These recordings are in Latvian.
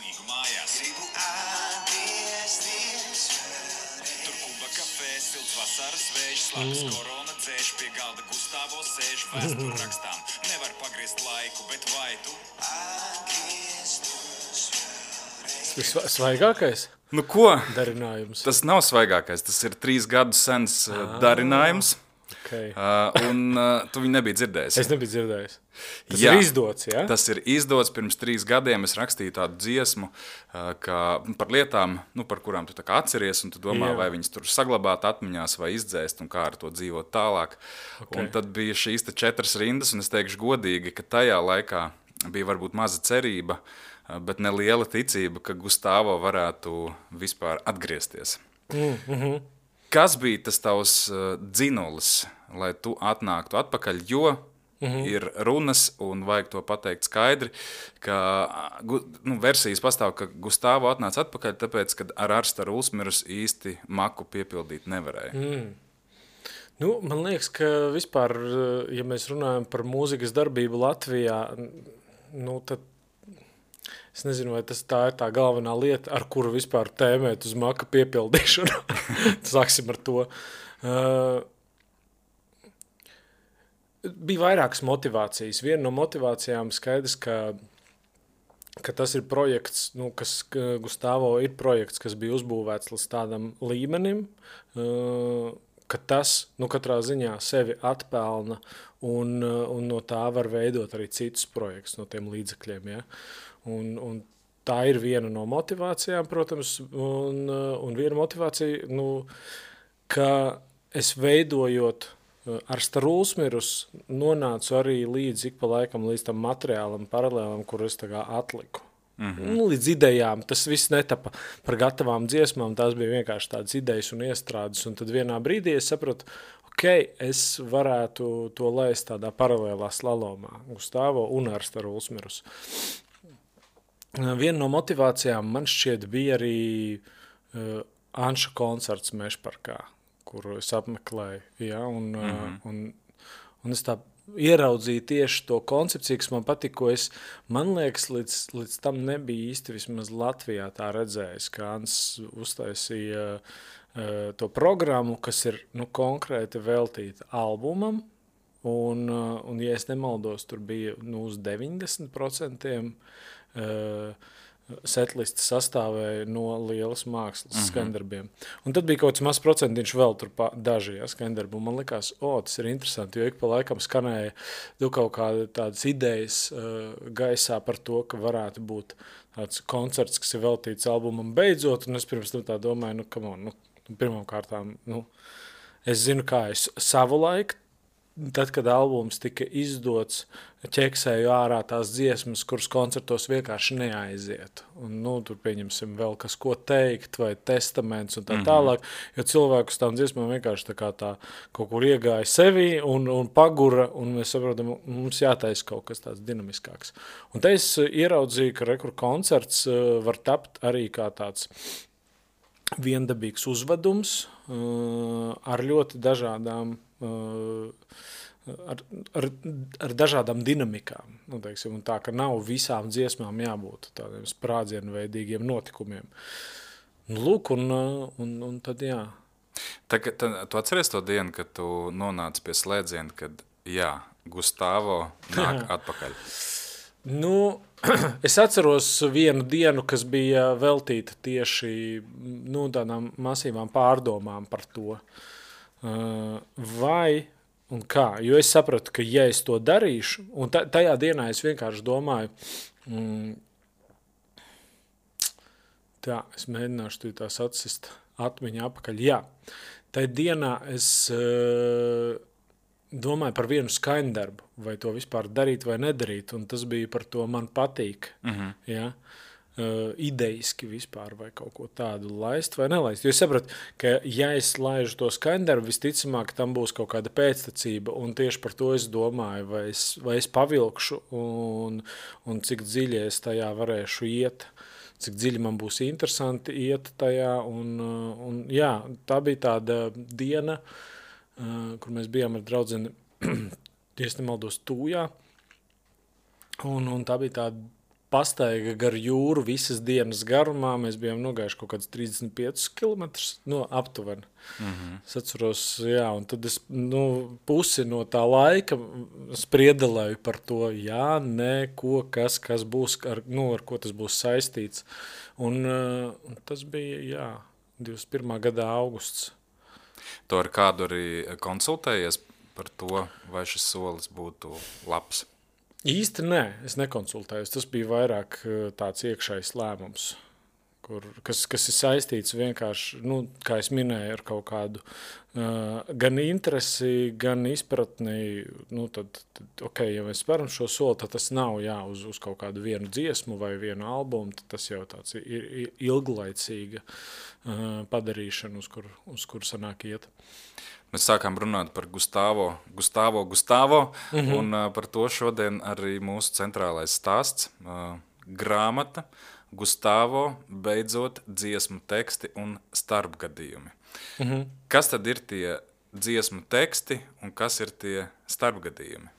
laimīgu mājās. Gribu atgriezties Tur Kuba kafē, silts vasaras vējš, slāpes korona dzēš, pie galda Gustavo sēž, vēsturi rakstām. Nevar pagriezt laiku, bet vai tu? Svaigākais Nu ko? darinājums. Tas nav svaigākais, tas ir 3 gadus sens darinājums. Okay. Un tu viņu nebija dzirdējis. Es nebiju dzirdējis. Tas Jā. ir izdots, ja? Tas ir izdots pirms 3 gadiem. Es rakstīju tādu dziesmu par lietām, par kurām tu tā kā atceries, un tu domā, Jā. vai viņas tur saglabāt atmiņās vai izdzēst, un kā ar to dzīvot tālāk. Okay. Un tad bija šīs 4 rindas, un es teikšu godīgi, ka tajā laikā bija varbūt maza cerība, bet ne liela ticība, ka Gustavo varētu vispār atgriezties. Kas bija tas tavs dzinulis, lai tu atnāktu atpakaļ, jo ir runas, un vajag to pateikt skaidri, ka versijas pastāv, ka Gustavo atnāca atpakaļ, tāpēc, ka ar Arstaru Ulsmirus īsti maku piepildīt nevarēja. Nu, man liekas, ka vispār, ja mēs runājam par mūzikas darbību Latvijā, tad es nezinu, vai tā ir tā galvenā lieta, ar kuru vispār tēmēt uz maka piepildīšanu. Sāksim ar to. Bija vairākas motivācijas. Viena no motivācijām skaidrs, ka tas ir projekts, kas Gustavo ir projekts, kas bija uzbūvēts līdz tādam līmenim, ka tas katrā ziņā sevi atpelna un no tā var veidot arī citus projektus no tiem līdzekļiem. Ja? Un tā ir viena no motivācijām, protams, un viena motivācija, ka es veidojot Arstaru Ulsmirus nonācu arī līdz ik pa laikam līdz tam materiālam, paralēlam, kur es tā kā atliku. Līdz idejām, tas viss netapa par gatavām dziesmām, tās bija vienkārši tādas idejas un iestrādes, un tad vienā brīdī es sapratu, es varētu to laist tādā paralēlā slalomā, Gustavo un Arstaru Ulsmirus. Viena no motivācijām man šķiet bija arī Anša koncerts Mežparkā, kuru es apmeklēju, ja, un es tā ieraudzīju tieši to koncepciju, kas man patika, ko man liekas, līdz tam nebija īsti vismaz Latvijā tā redzējis, ka Ants uztaisīja to programmu, kas ir konkrēti veltīta albumam, un ja es nemaldos, tur bija uz 90% setlisti sastāvēja no lielas mākslas skandarbiem. Un tad bija kaut kāds mazs procentiņš vēl tur daži skandarbi. Un man likās, tas ir interesanti, jo ik pa laikam skanēja kaut kāda tādas idejas gaisā par to, ka varētu būt tāds koncerts, kas ir veltīts albumam beidzot. Un es pirms tam tā domāju, pirmām kārtām, es zinu, kā es savu laiku, tad, kad albums tika izdots, ķeksēju ārā tās dziesmas, kuras koncertos vienkārši neaiziet. Un, tur pieņemsim vēl kas, ko teikt, vai testaments un tā tālāk, jo cilvēku uz tām dziesmām vienkārši tā kaut kur iegāja sevi un pagura, un mēs saprotam, mums jātaisa kaut kas tāds dinamiskāks. Un te es ieraudzīju, ka koncerts var tapt arī kā tāds viendabīgs uzvedums ar ļoti dažādām ar dažādām dinamikām. Teiksim, un tā, ka nav visām dziesmām jābūt tādiem sprādzienveidīgiem notikumiem. Lūk, un tad jā. Tu atceries to dienu, kad tu nonāci pie slēdziena, kad Gustavo nāk atpakaļ? Es atceros vienu dienu, kas bija veltīta tieši tādām masīvām pārdomām par to. Vai un kā? Jo es sapratu, ka ja es to darīšu, un tajā dienā es vienkārši domāju, es mēģināšu tās atsist atmiņā apakaļ. Jā, tajā dienā es domāju par vienu skaņdarbu, vai to vispār darīt vai nedarīt, un tas bija par to man patīk. Ja? Idejiski vispār vai kaut ko tādu laist vai nelaist. Jo es sapratu, ka ja es laižu to skaņdarbu, visticamāk tam būs kaut kāda pēctecība, un tieši par to es domāju, vai es pavilkšu un cik dziļi es tajā varēšu iet, cik dziļi man būs interesanti iet tajā. Un jā, tā bija tāda diena, kur mēs bijām ar draudzeni, ja es nemaldos, Tūjā, un tā bija tāda pastaiga gar jūru visas dienas garumā. Mēs bijām nogājuši kaut kāds 35 km aptuveni. Es atceros, jā, un tad es pusi no tā laika spriedelēju par to, jā, nē, kas būs, ar ko tas būs saistīts. Un tas bija, jā, 21. gada augusts. Tu ar kādu arī konsultējies par to, vai šis solis būtu labs? Īsti nē, es nekonsultējos. Tas bija vairāk tāds iekšējs lēmums, kas ir saistīts vienkārši, kā es minēju, ar kaut kādu gan interesi, gan izpratni. Tad, ja mēs speram šo soli, tad tas nav uz kaut kādu vienu dziesmu vai vienu albumu, tad tas jau tāds ir ilglaicīga padarīšana, uz kur sanāk iet. Mēs sākām runāt par Gustavo, un par to šodien arī mūsu centrālais stāsts, grāmata Gustavo, beidzot dziesmu teksti un starpgadījumi. Kas tad ir tie dziesmu teksti un kas ir tie starpgadījumi?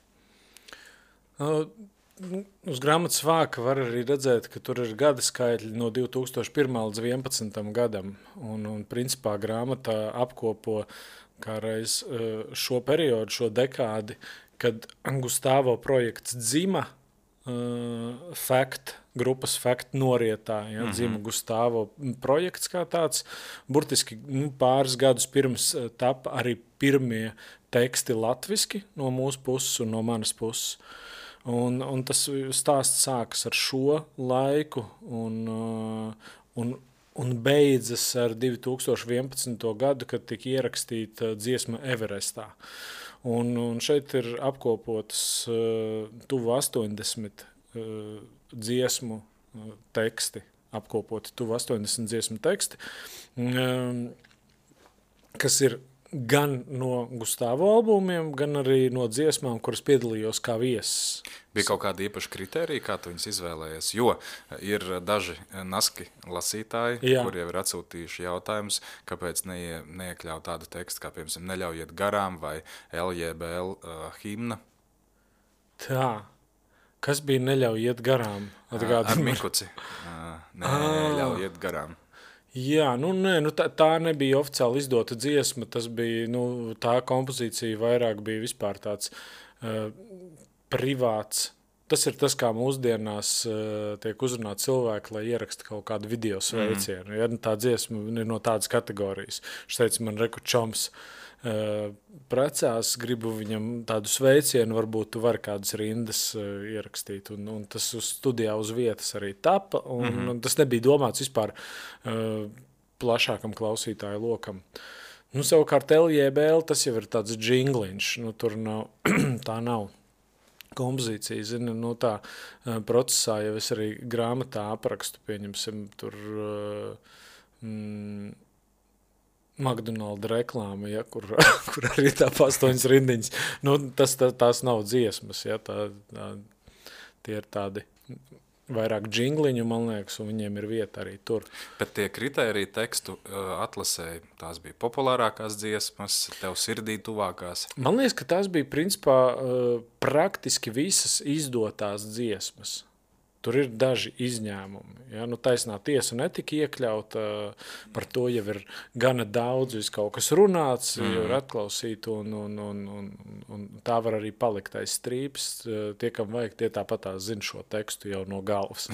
Uz grāmatas vāka var arī redzēt, ka tur ir gada skaitļi no 2001. līdz 2011. gadam, un principā grāmata apkopo kādreiz šo periodu, šo dekādi, kad Gustavo projekts dzima grupas Fact norietā, dzima Gustavo projekts kā tāds. Burtiski pāris gadus pirms tapa arī pirmie teksti latviski no mūsu puses un no manas puses. Un tas stāsts sākas ar šo laiku un beidzas ar 2011. gadu, kad tika ierakstīta dziesma Everestā. Un šeit ir apkopotas tuvu 80 dziesmu teksti, tuvu 80 dziesmu teksti, kas ir gan no Gustavo albumiem, gan arī no dziesmām, kuras piedalījos kā viesis. Bija kaut kāda īpaša kritērija, kā tu viņus izvēlējies? Jo ir daži naski lasītāji, kuri jau ir atsūtījuši jautājumus, kāpēc neiekļaut tādu tekstu, kā, piemēram, Neļaujiet garām vai LJBL himna. Tā. Kas bija Neļaujiet garām? Ar Mikuci. Neļaujiet garām. Jā, tā nebija oficiāli izdota dziesma, tas bija, tā kompozīcija vairāk bija vispār tāds privāts. Tas ir tas, kā mūsdienās tiek uzrunāt cilvēki, lai ieraksta kaut kādu video sveicienu. Ja, tā dziesma ir no tādas kategorijas. Viņš teica, man reku čoms precās, gribu viņam tādu sveicienu, varbūt tu vari kādas rindas ierakstīt. Un tas uz studijā uz vietas arī tapa, un tas nebija domāts vispār plašākam klausītāju lokam. Savukārt LJBL, tas jau ir tāds džingliņš, tur nav, tā nav kompozīcija, zini, tā procesā jau es arī grāmatā aprakstu, pieņemsim, tur McDonald's reklāma, ja, kur arī tā 8 rindiņas. Tās nav dziesmas, ja, tie ir tādi vairāk džingliņu, man liekas, un viņiem ir vieta arī tur. Bet tie kritēriji tekstu atlasēji, tās bija populārākās dziesmas, tev sirdī tuvākās? Man liekas, ka tās bija principā praktiski visas izdotās dziesmas. Tur ir daži izņēmumi. Ja? Taisnā tiesa netika iekļauta, par to jau ir gana daudz, kaut kas runāts, jau ir atklausīt, un tā var arī palikt aiz strīpas. Tie, kam vajag, tie tāpatās zina šo tekstu jau no galvas.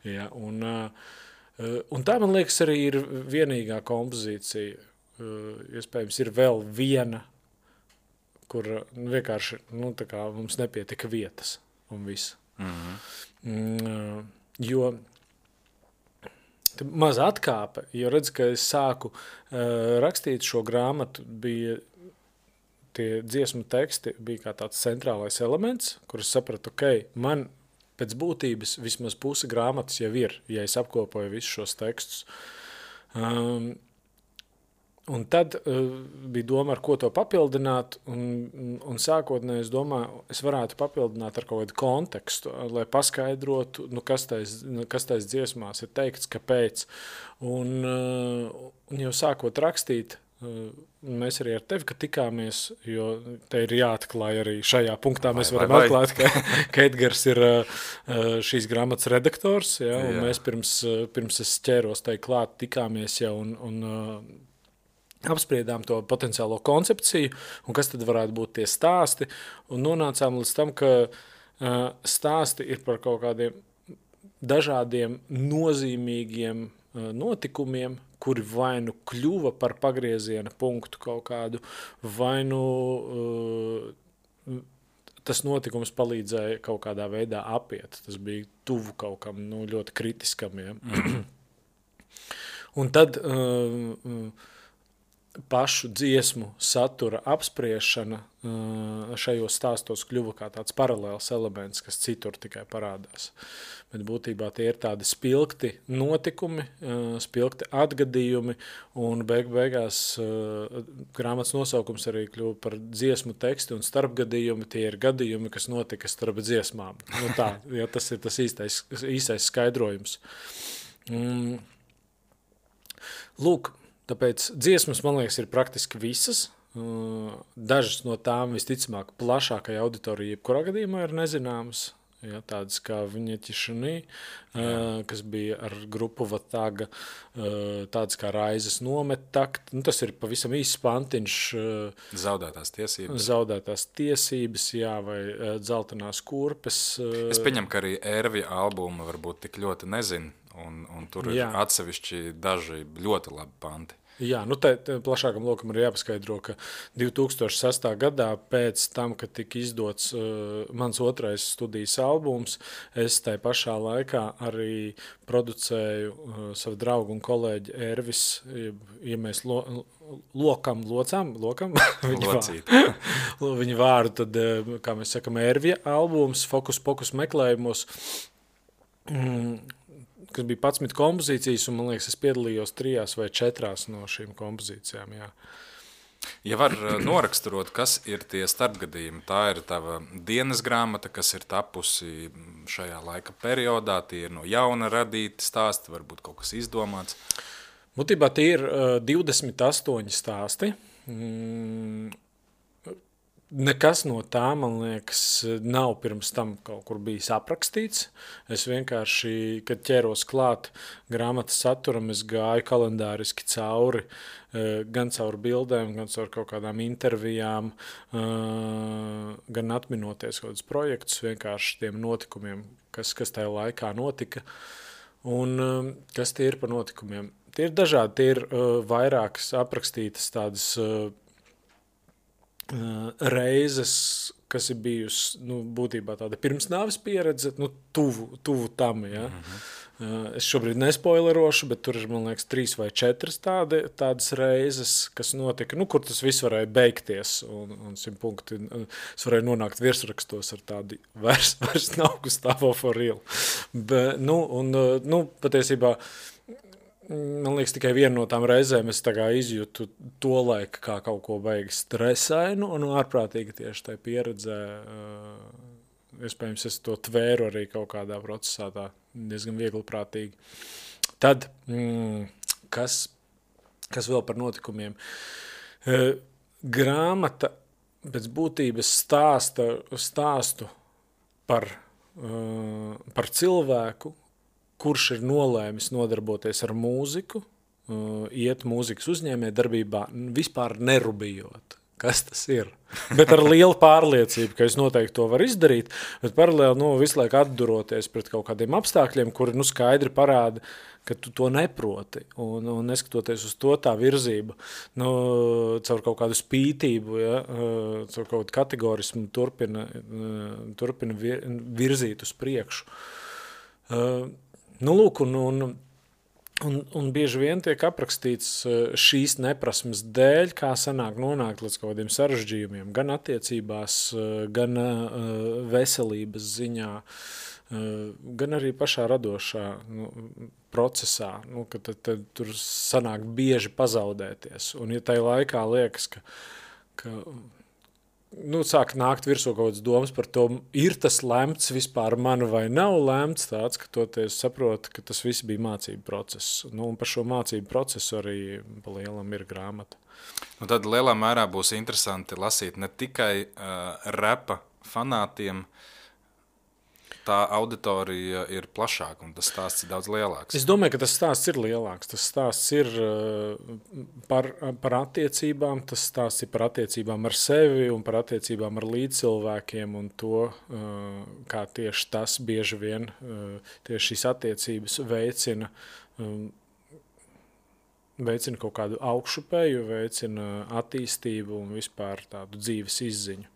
Ja? Un tā, man liekas, arī ir vienīgā kompozīcija. Iespējams, ir vēl viena, kur vienkārši tā kā mums nepietika vietas un viss. Jo maza atkāpe, jo redz, ka es sāku rakstīt šo grāmatu, bija tie dziesmu teksti, bija kā tāds centrālais elements, kur es sapratu, man pēc būtības vismaz puse grāmatas jau ir, ja es apkopoju visus šos tekstus. Un tad bija doma, ar ko to papildināt, un sākotnēji es domāju, es varētu papildināt ar kaut kādu kontekstu, lai paskaidrotu, kas tais dziesmās ir teikts, kāpēc. Un jau sākot rakstīt, mēs arī ar tevi, ka tikāmies, jo te ir jāatklāj arī šajā punktā. Mēs varam vai. atklāt, ka Edgars ir šīs grāmatas redaktors, ja, un Jā. mēs pirms es ķēros tai klāt, tikāmies jau un apspriedām to potenciālo koncepciju, un kas tad varētu būt tie stāsti, un nonācām līdz tam, ka stāsti ir par kaut kādiem dažādiem nozīmīgiem notikumiem, kuri vai nu kļuva par pagrieziena punktu kaut kādu, vai nu tas notikums palīdzēja kaut kādā veidā apiet. Tas bija tuvu kaut kam ļoti kritiskam. Ja? Un tad pašu dziesmu satura apspriešana šajos stāstos kļuva kā tāds paralēls elements, kas citur tikai parādās. Bet būtībā tie ir tādi spilgti notikumi, spilgti atgadījumi, un beigās grāmatas nosaukums arī kļuva par dziesmu tekstu un starpgadījumi. Tie ir gadījumi, kas notika starp dziesmām. Tā, ja tas ir tas īstais skaidrojums. Lūk, tāpēc dziesmas, man liekas, ir praktiski visas. Dažas no tām visticamāk plašākai auditorijai jebkurā gadījumā ir nezināmas. Ja, tādas kā Viņeķišanī, kas bija ar grupu Vataga, tādas kā Raizes nomettakt. Tas ir pavisam īsts pantiņš. Zaudētās tiesības, jā, vai Dzeltenās kurpes. Es pieņemu, ka arī Ervija albuma varbūt tik ļoti nezinu, un tur ir atsevišķi daži ļoti labi panti. Jā, te plašākam lokam ir jāpaskaidro, ka 2006. gadā pēc tam, kad tika izdots mans otrais studijas albums, es tai pašā laikā arī producēju savu draugu un kolēģi Ervis, ja mēs lokam viņa vārdu, tad, kā mēs sakam, Ervija albums, Fokus meklējumos, kas bija 11 kompozīcijas, un, man liekas, es piedalījos 3 vai 4 no šīm kompozīcijām, jā. Ja var noraksturot, kas ir tie starpgadījumi, tā ir tava dienas grāmata, kas ir tapusi šajā laika periodā, tie ir no jauna radīti stāsti, varbūt kaut kas izdomāts? Būtībā tie ir 28 stāsti. Nekas no tā, man liekas, nav pirms tam kaut kur bijis aprakstīts. Es vienkārši, kad ķēros klāt grāmatas saturam, es gāju kalendāriski cauri, gan caur bildēm, gan caur kaut kādām intervijām, gan atminoties kaut kādus projektus, vienkārši tiem notikumiem, kas tajā laikā notika. Un kas tie ir par notikumiem? Tie ir dažādi, tie ir vairākas aprakstītas tādas reizes, kas ir bijusi būtībā tāda pirmsnāves pieredze, tuvu tam. Ja? Es šobrīd nespoilerošu, bet tur ir, man liekas, 3 vai 4 tādas reizes, kas notika, kur tas viss varēja beigties, un 100 punkti. Es varēju nonākt virsrakstos ar tādu vairs nav Gustavo for real. Bet, patiesībā, man liekas, tikai viena no tām reizēm es izjūtu to laiku kā kaut ko baigi stresainu un ārprātīgi tieši tai pieredzē. Iespējams, es to tvēru arī kaut kādā procesā tā diezgan viegliprātīgi. Tad, kas vēl par notikumiem? Grāmata pēc būtības stāstu par cilvēku, kurš ir nolēmis nodarboties ar mūziku, iet mūzikas uzņēmējdarbībā, vispār nerubījot, kas tas ir. Bet ar lielu pārliecību, ka es noteikti to varu izdarīt, bet paralēli visu laiku atduroties pret kaut kādiem apstākļiem, kuri skaidri parāda, ka tu to neproti. Un neskatoties uz to, tā virzība, caur kaut kādu spītību, ja, caur kaut kādu kategorismu turpina virzīt uz priekšu. Lūk, un bieži vien tiek aprakstīts šīs neprasmes dēļ, kā sanāk nonākt līdz kaut kādiem sarežģījumiem, gan attiecībās, gan veselības ziņā, gan arī pašā radošā procesā, ka tad tur sanāk bieži pazaudēties. Un ja tai laikā liekas, ka sāk nākt virsū kaut kādas domas par to, ir tas lemts vispār man vai nav lemts tāds, ka toties saproti, ka tas viss bija mācību process. Un par šo mācību procesu arī pa lielam ir grāmata. Tad lielā mērā būs interesanti lasīt ne tikai repa fanātiem, tā auditorija ir plašāka un tas stāsts ir daudz lielāks. Es domāju, ka tas stāsts ir lielāks. Tas stāsts ir par attiecībām, tas stāsts ir par attiecībām ar sevi un par attiecībām ar līdzcilvēkiem un to, kā tieši tas bieži vien, tieši šīs attiecības veicina kaut kādu augšupēju, veicina attīstību un vispār tādu dzīves izziņu.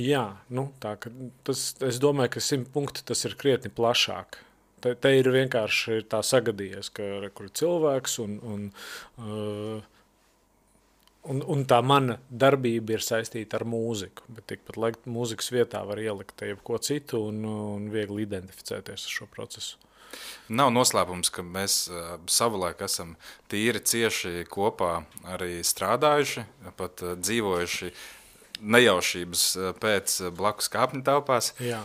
Jā, tā, es domāju, ka 100 punkti tas ir krietni plašāk. Te ir vienkārši tā sagadījies, ka kur cilvēks un tā mana darbība ir saistīta ar mūziku, bet tikpat mūzikas vietā var ielikt jebko citu un viegli identificēties ar šo procesu. Nav noslēpums, ka mēs savulaik esam tīri cieši kopā arī strādājuši, pat dzīvojuši nejaušības pēc blakus kāpņu telpās. Jā.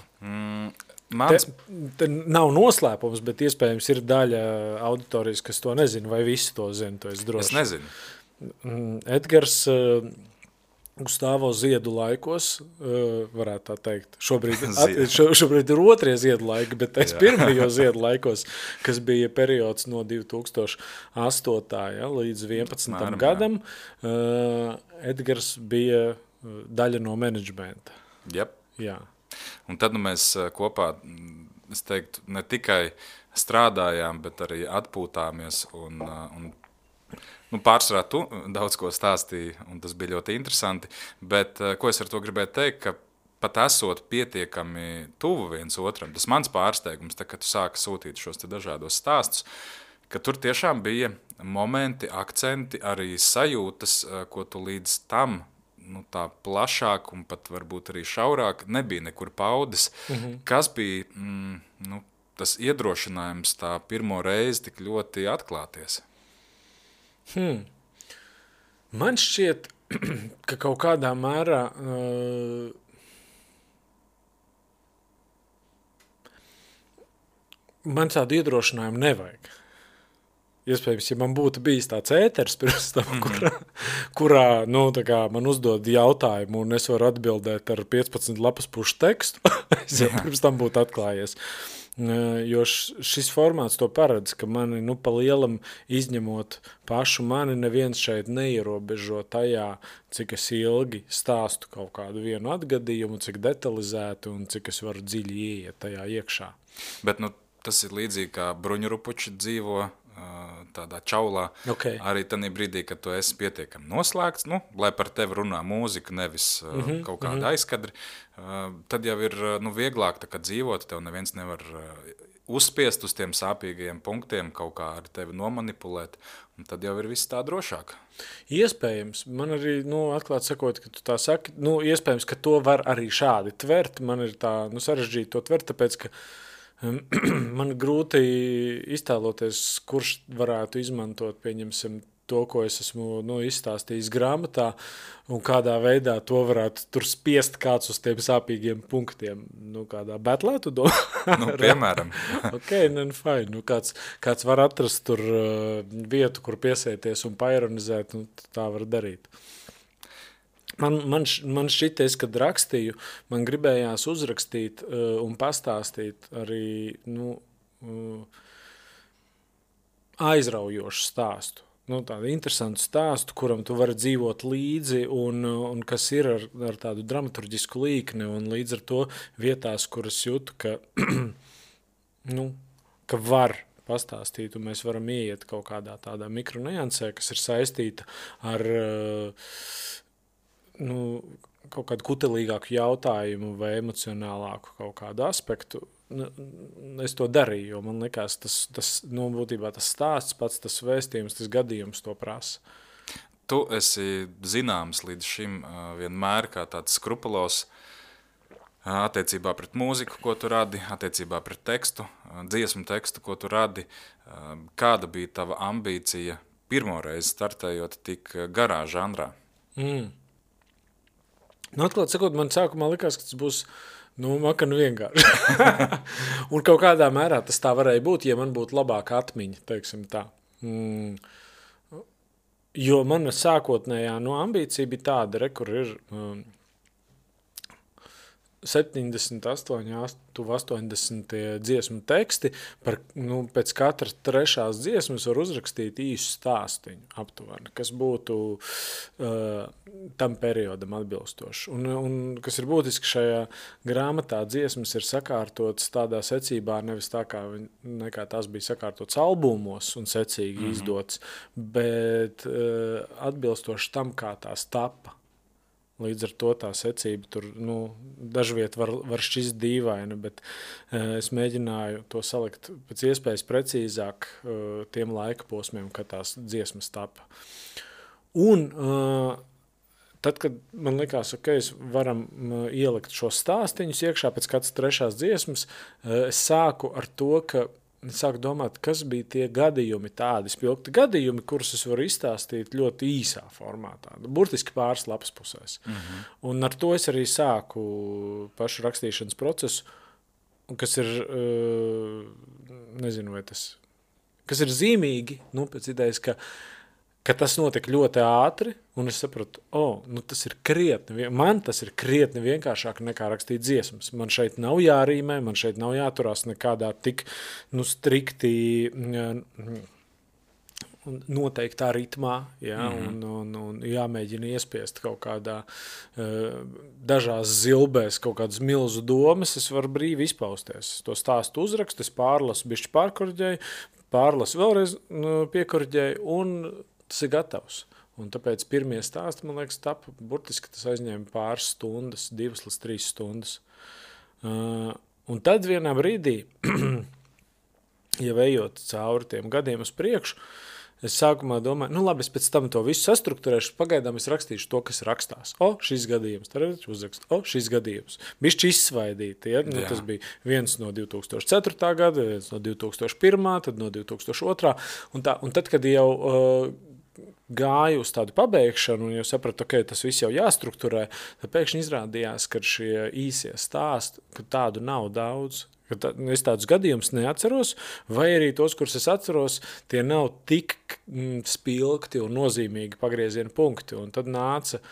Te nav noslēpums, bet iespējams ir daļa auditorijas, kas to nezina, vai visi to zina, to es droši. Es nezinu. Edgars Gustavo ziedu laikos, varētu tā teikt, šobrīd ir otrie ziedu laiki, bet es pirmajos ziedu laikos, kas bija periods no 2008. Līdz 11. gadam, Edgars bija daļa no menedžmenta. Yep. Jā. Un tad mēs kopā, es teiktu, ne tikai strādājām, bet arī atpūtāmies un pārsvarā tu daudz ko stāstīji, un tas bija ļoti interesanti, bet ko es ar to gribēju teikt, ka pat esot pietiekami tuvu viens otram, tas mans pārsteigums, kad tu sāki sūtīt šos te dažādos stāstus, ka tur tiešām bija momenti, akcenti, arī sajūtas, ko tu līdz tam tā plašāk un pat varbūt arī šaurāk nebija nekur paudis. Kas bija tas iedrošinājums tā pirmo reizi tik ļoti atklāties? Man šķiet, ka kaut kādā mērā man tādu iedrošinājumu nevajag. Iespējams, ja man būtu bijis tāds ēters pirms tam, kurā man uzdod jautājumu un es varu atbildēt ar 15 lapas pušu tekstu, es jau pirms tam būtu atklājies. Jo šis formāts to paredz, ka mani pa lielam izņemot pašu mani, neviens šeit neierobežo tajā, cik es ilgi stāstu kaut kādu vienu atgadījumu, cik detalizēti un cik es varu dziļi ieiet tajā iekšā. Bet tas ir līdzīgi kā bruņurupuči dzīvo tādā čaulā, arī tādā brīdī, kad tu esi pietiekami noslēgts, lai par tevi runā mūzika, nevis kaut kāda aizkadri, tad jau ir vieglāk dzīvot, tev neviens nevar uzspiest uz tiem sāpīgajiem punktiem, kaut kā ar tevi nomanipulēt, un tad jau ir viss tā drošāk. Iespējams, man arī, atklāt sakot, ka tu tā saki, iespējams, ka to var arī šādi tvert, man ir tā, sarežģīti to tvert, tāpēc, ka man grūti iztēloties, kurš varētu izmantot, pieņemsim, to, ko es esmu izstāstījis grāmatā, un kādā veidā to varētu tur spiest kāds uz tiem sāpīgiem punktiem. Kādā betlē tu domā? Piemēram. Fine. Kāds var atrast tur vietu, kur piesēties un paironizēt, tā var darīt. Man šķities, kad rakstīju, man gribējās uzrakstīt un pastāstīt arī aizraujošu stāstu. Tādu interesantu stāstu, kuram tu vari dzīvot līdzi un kas ir ar tādu dramaturģisku līkni un līdz ar to vietās, kuras jūtu, ka, ka var pastāstīt un mēs varam ieiet kaut kādā tādā mikroniansē, kas ir saistīta ar kaut kādu kutelīgāku jautājumu vai emocionālāku kaut kādu aspektu. Es to darīju, jo man likās, tas būtībā tas stāsts pats, tas vēstījums, tas gadījums to prasa. Tu esi zināms līdz šim vienmēr kā tāds skrupulos attiecībā pret mūziku, ko tu radi, attiecībā pret tekstu, dziesmu tekstu, ko tu radi. Kāda bija tava ambīcija pirmoreiz startējot tik garā žanrā? Atklāt sakot, man sākumā likās, ka tas būs makanu vienkārši. Un kaut kādā mērā tas tā varēja būt, ja man būtu labāka atmiņa, teiksim tā. Jo mana sākotnējā ambīcija bija tāda, kur ir 78, tuvu 80 dziesmu teksti, pēc katras trešās dziesmas var uzrakstīt īsu stāstiņu aptuveni, kas būtu tam periodam atbilstoši. Un kas ir būtiski šajā grāmatā, dziesmas ir sakārtotas tādā secībā, nevis tā nekā tās bija sakārtotas albumos un secīgi izdotas, bet atbilstoši tam, kā tās tapa. Līdz ar to tā secība tur dažviet var šķist dīvaina, bet es mēģināju to salikt pēc iespējas precīzāk tiem laika posmiem, kad tās dziesmas tapa. Un tad, kad man likās, es varam ielikt šos stāstiņus iekšā pēc katras trešās dziesmas, es sāku ar to, ka sāku domāt, kas bija tie gadījumi, tādi spilgti gadījumi, kurus es varu izstāstīt ļoti īsā formātā, burtiski pāris lapas pusēs. Un ar to es arī sāku pašu rakstīšanas procesu, kas ir, nezinu, vai tas, kas ir zīmīgi, pēc idejas, ka tas notika ļoti ātri, un es sapratu, tas ir krietni vienkāršāk nekā rakstīt dziesmas. Man šeit nav jārīmē, man šeit nav jāturās nekādā tik strikti noteiktā ritmā, un jāmēģina iespiest kaut kādā dažās zilbēs kaut kādas milzu domas, es varu brīvi izpausties. To stāstu uzrakstu, es pārlasu, bišķi pārkorģēju, pārlasu vēlreiz piekorģēju, un tas ir gatavs. Un tāpēc pirmie stāsti, man liekas, tapa burtiski tas aizņēma pāris stundas, 2 līdz 3 stundas. Un tad vienā brīdī, ja ejot cauri tiem gadiem uz priekšu, es sākumā domāju, labi, es pēc tam to visu sastrukturēšu, pagaidām es rakstīšu to, kas rakstās. Šis gadījums, tad uzrakstu, šis gadījums. Bišķi izsvaidīti, tas bija viens no 2004. gada, viens no 2001. Tad no 2002. Un tad, kad jau gāju uz tādu pabeigšanu un jau sapratu, tas viss jau jāstrukturē, tad pēkšņi izrādījās, ka šie īsie stāsti, ka tādu nav daudz. Es tādus gadījumus neatceros, vai arī tos, kurus es atceros, tie nav tik spilgti un nozīmīgi pagrieziena punkti. Un tad nāca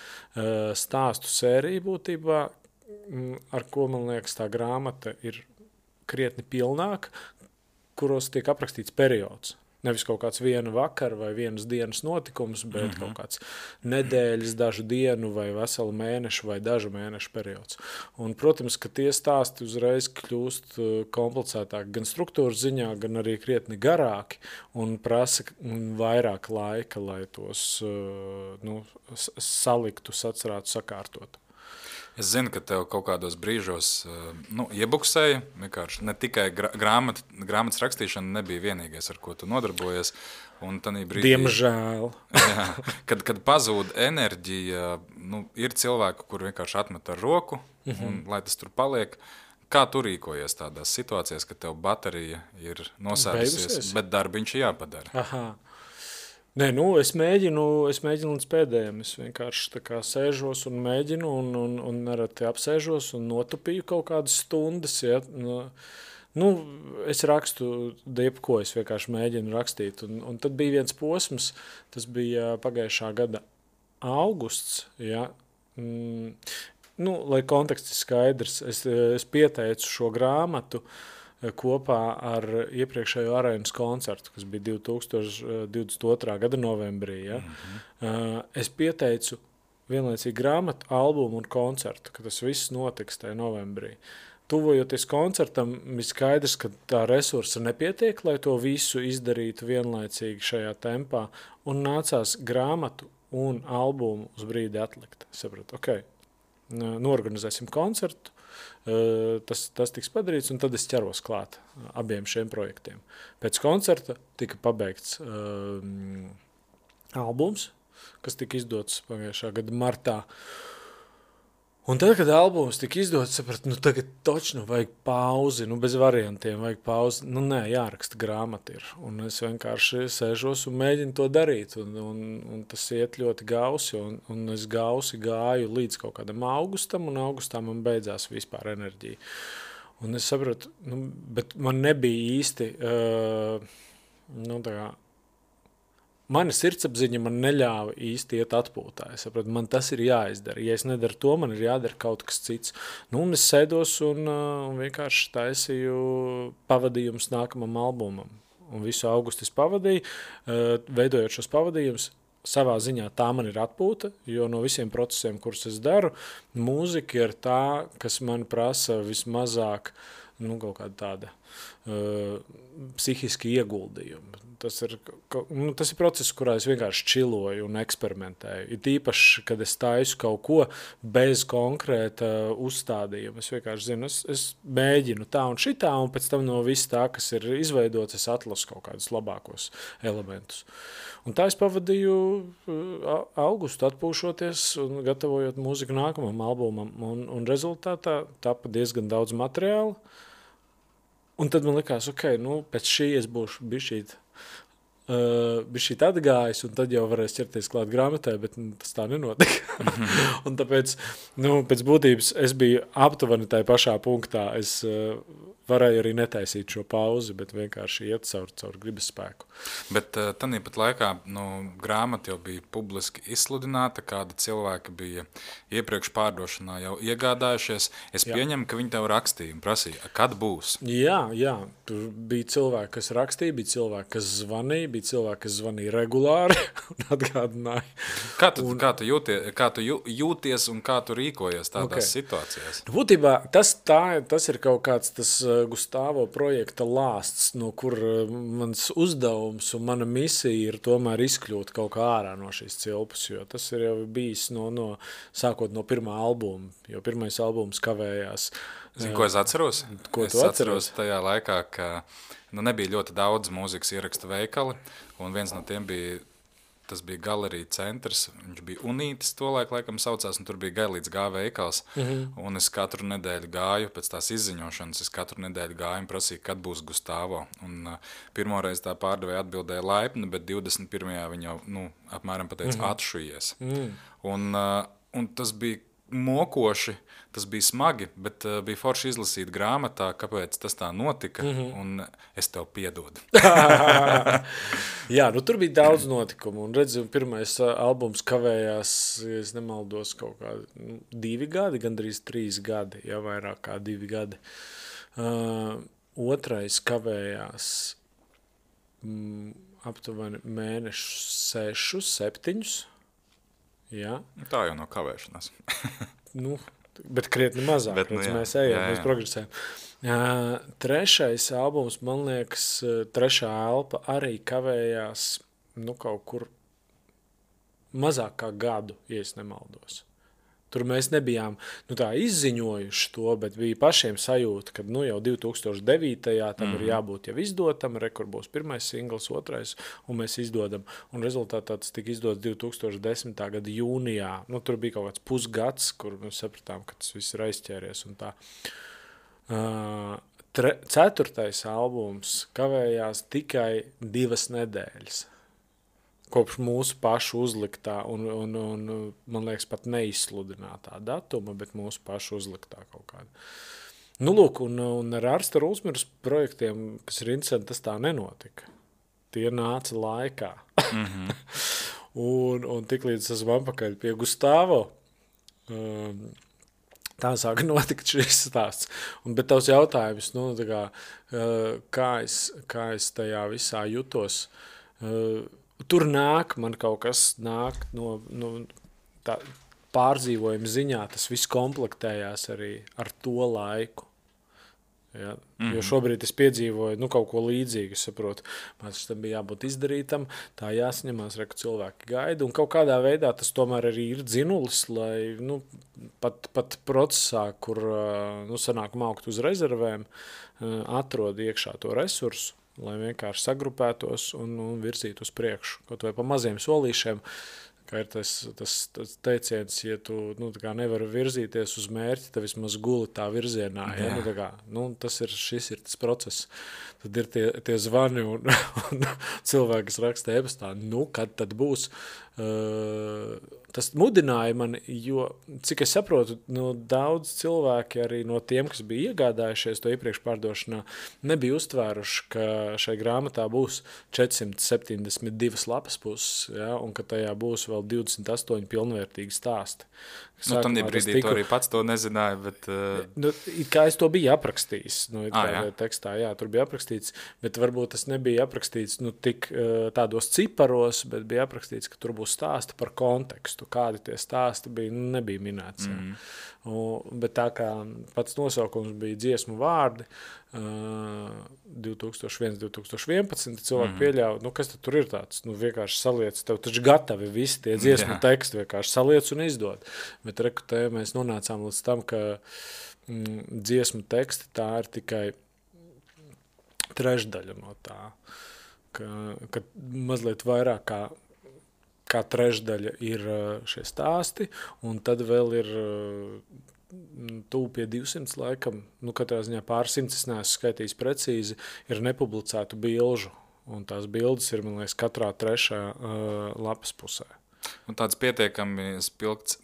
stāstu sērija būtībā, ar ko, man liekas, tā grāmata ir krietni pilnāka, kuros tiek aprakstīts periods. Nevis kaut kāds viena vakara vai vienas dienas notikums, bet kaut kāds nedēļas, dažu dienu vai veselu mēnešu vai dažu mēnešu periods. Un, protams, ka tie stāsti uzreiz kļūst komplicētāki gan struktūras ziņā, gan arī krietni garāki un prasa vairāk laika, lai tos saliktu, sacerētu, sakārtotu. Es zinu, ka tev kaut kādos brīžos iebuksēja, vienkārši ne tikai grāmatas rakstīšana nebija vienīgais, ar ko tu nodarbojies. Un brīdī, diemžēl. Jā, kad pazūd enerģija, ir cilvēki, kur vienkārši atmet ar roku, un, lai tas tur paliek. Kā tu rīkojies tādās situācijās, kad tev baterija ir nosēdusies, bet darbiņš jāpadara? Aha. Nē, es mēģinu līdz pēdējiem. Es vienkārši tā kā sēžos un mēģinu un nereti apsēžos un notupīju kaut kādas stundas. Ja. Es rakstu jebko, es vienkārši mēģinu rakstīt. Un tad bija viens posms, tas bija pagājušā gada augusts. Ja. Lai konteksts ir skaidrs, es pieteicu šo grāmatu kopā ar iepriekšējo arēnas koncertu, kas bija 2022. gada novembrī. Ja? Es pieteicu vienlaicīgi grāmatu, albumu un koncertu, ka tas viss notiks tajā novembrī. Tuvojoties koncertam, bija skaidrs, ka tā resursa nepietiek, lai to visu izdarītu vienlaicīgi šajā tempā, un nācās grāmatu un albumu uz brīdi atlikt. Es sapratu, norganizēsim koncertu, tas tiks padarīts, un tad es ķeros klāt abiem šiem projektiem. Pēc koncerta tika pabeigts albums, kas tika izdots pagājušā gada martā. Un tad, kad albums tika izdots, sapratu, nu tagad točno vajag pauzi, nu bez variantiem vajag pauzi. Nu nē, jāraksta grāmata ir. Un es vienkārši sēžos un mēģinu to darīt. Un tas iet ļoti gausi. Un es gausi gāju līdz kaut kādam augustam, un augustā man beidzās vispār enerģija. Un es sapratu, nu, bet man nebija īsti, nu tā kā, mana sirdsapziņa man neļāva īsti iet atpūtā. Es sapratu, man tas ir jāizdara. Ja es nedaru to, man ir jādara kaut kas cits. Nu, un es sēdos un vienkārši taisīju pavadījumus nākamam albumam. Un visu augustu es pavadīju, veidojot šos pavadījumus. Savā ziņā tā man ir atpūta, jo no visiem procesiem, kurus es daru, mūzika ir tā, kas man prasa vismazāk, nu, kaut kāda tāda psihiski ieguldījumi. Tas ir process, kurā es vienkārši čiloju un eksperimentēju. Ir īpaši, kad es taisu kaut ko bez konkrēta uzstādījuma. Es vienkārši zinu, es mēģinu tā un šitā, un pēc tam no viss tā, kas ir izveidots, es atlasu kaut kādus labākos elementus. Un tā es pavadīju augustu atpūšoties un gatavojot mūziku nākamam albumam. Un rezultātā tapa diezgan daudz materiāla. Un tad man likās, nu, pēc šī es būšu bišķīt atgājis, un tad jau varēs ķerties klāt grāmatai, bet tas tā nenotika. Un tāpēc, nu, pēc būtības es biju aptuveni tajā pašā punktā. Es varēju arī netaisīt šo pauzi, bet vienkārši iet caur gribas spēku. Bet tanī pat laikā, nu, grāmata jau bija publiski izsludināta, kāda cilvēki bija iepriekš pārdošanā jau iegādājušies. Es pieņemu, ka viņi tev rakstīja un prasīja, kad būs? Jā, tur bija cilvēki, kas rakstīja, bija cilvēki, kas zvanīja, bija cilvēki, kas zvanīja regulāri un atgādināja. Kā tu jūties un kā tu rīkojies tādās situācijās? Būtībā tas ir kaut kāds tas Gustavo projekta lāsts, no kur mans uzdevums un mana misija ir tomēr izkļūt kaut kā ārā no šīs cilpas, jo tas ir jau bijis sākot no pirmā albuma, jo pirmais albums kavējās. Zini, ko es atceros? Ko tu atceros tajā laikā, ka nebija ļoti daudz mūzikas ierakstu veikali, un viens no tiem bija tas bija galerija centrs, viņš bija Unītis tolaik, laikam saucās, un tur bija Gailīts G veikals, un es katru nedēļu gāju, pēc tās izziņošanas, un prasīju, kad būs Gustavo, un pirmoreiz tā pārdevēja atbildēja laipni, bet 21. viņa jau, nu, apmēram pateica atšujies. Un tas bija mokoši, tas bija smagi, bet bija forši izlasīt grāmatā, kāpēc tas tā notika, un es tev piedodu. Jā, nu tur bija daudz notikumu, un redzu, pirmais albums kavējās, ja es nemaldos, kaut kā 2 gadi, gandrīz 3 gadi, ja vairāk kā 2 gadi. Otrais kavējās aptuveni mēnešus 6, 7. Jā. Tā jau nav kavēšanās. Nu, bet krietni mazāk, mēs ejam, mēs progresējam. Trešais albums, man liekas, trešā elpa arī kavējās, nu, kaut kur mazāk kā gadu, ja es nemaldos. Tur mēs nebijām, nu, tā izziņojuši to, bet bija pašiem sajūta, ka, nu, jau 2009. Tam ir jābūt jau izdotam, kur būs pirmais singls, otrais, un mēs izdodam. Un rezultātā tas tika izdots 2010. Gada jūnijā. Nu, tur bija kaut kāds pusgads, kur mēs sapratām, ka tas viss ir aizķēries un tā. Ceturtais albums kavējās tikai 2 nedēļas. Kopš mūsu pašu uzliktā un man liekas, pat neizsludinātā datuma, bet mūsu pašu uzliktā kaut kāda. Nu, lūk, un ar Arsta Rulsmīras projektiem, kas ir interesanti, tas tā nenotika. Tie nāca laikā. un tiklīdz esmu atpakaļ pie Gustavo, tā sāka notikt šis stāsts. Bet tavs jautājums, nu, kā es tajā visā jutos, tur man kaut kas nāk no tā pārdzīvojuma ziņā, tas viss komplektējās arī ar to laiku. Ja? Jo šobrīd es piedzīvoju kaut ko līdzīgu, es saprotu, man tam bija jābūt izdarītam, tā jāsaņemās, ka cilvēki gaida, un kaut kādā veidā tas tomēr arī ir dzinulis, lai pat procesā, kur sanāk maukt uz rezervēm, atrod iekšā to resursu, lai vienkārši sagrupētos un virzītu uz priekšu, kaut vai pa maziem solīšiem, Kā ir tas teiciens, ja tu nevari virzīties uz mērķi, tad vismaz guli tā virzienā. Ja? Šis ir tas process. Tad ir tie zvani un cilvēki, kas raksta e-pastā, kad tad būs. Tas mudināja mani, jo, cik es saprotu, daudz cilvēki arī no tiem, kas bija iegādājušies to iepriekš pārdošanā, nebija uztvēruši, ka šai grāmatā būs 472 lapas puses, ja, un ka tajā būs vēl 28 pilnvērtīgi stāsti. Tam brīdī tu arī pats to nezināji, bet... Kā es to biju aprakstījis, tekstā, jā, tur bija aprakstīts, bet varbūt tas nebija aprakstīts tik tādos ciparos, bet bija aprakstīts, ka tur būs stāsti par kontekstu, kādi tie stāsti bija, nebija minēts. Bet tā kā pats nosaukums bija dziesmu vārdi, 2001-2011, cilvēki pieļauj, kas tad tur ir tāds? Vienkārši saliec, tev taču gatavi visi tie dziesmu teksti, vienkārši saliec un izdod. Bet rekutē mēs nonācām līdz tam, ka dziesmu teksti tā ir tikai trešdaļa no tā, ka mazliet vairāk kā trešdaļa ir šie stāsti, un tad vēl ir tuvu pie 200 laikam, katrā ziņā pār 100, es neesmu skaitījis precīzi, ir nepublicētu bilžu, un tās bildes ir, man liekas, katrā trešā lapas pusē. Tāds pietiekami spilgts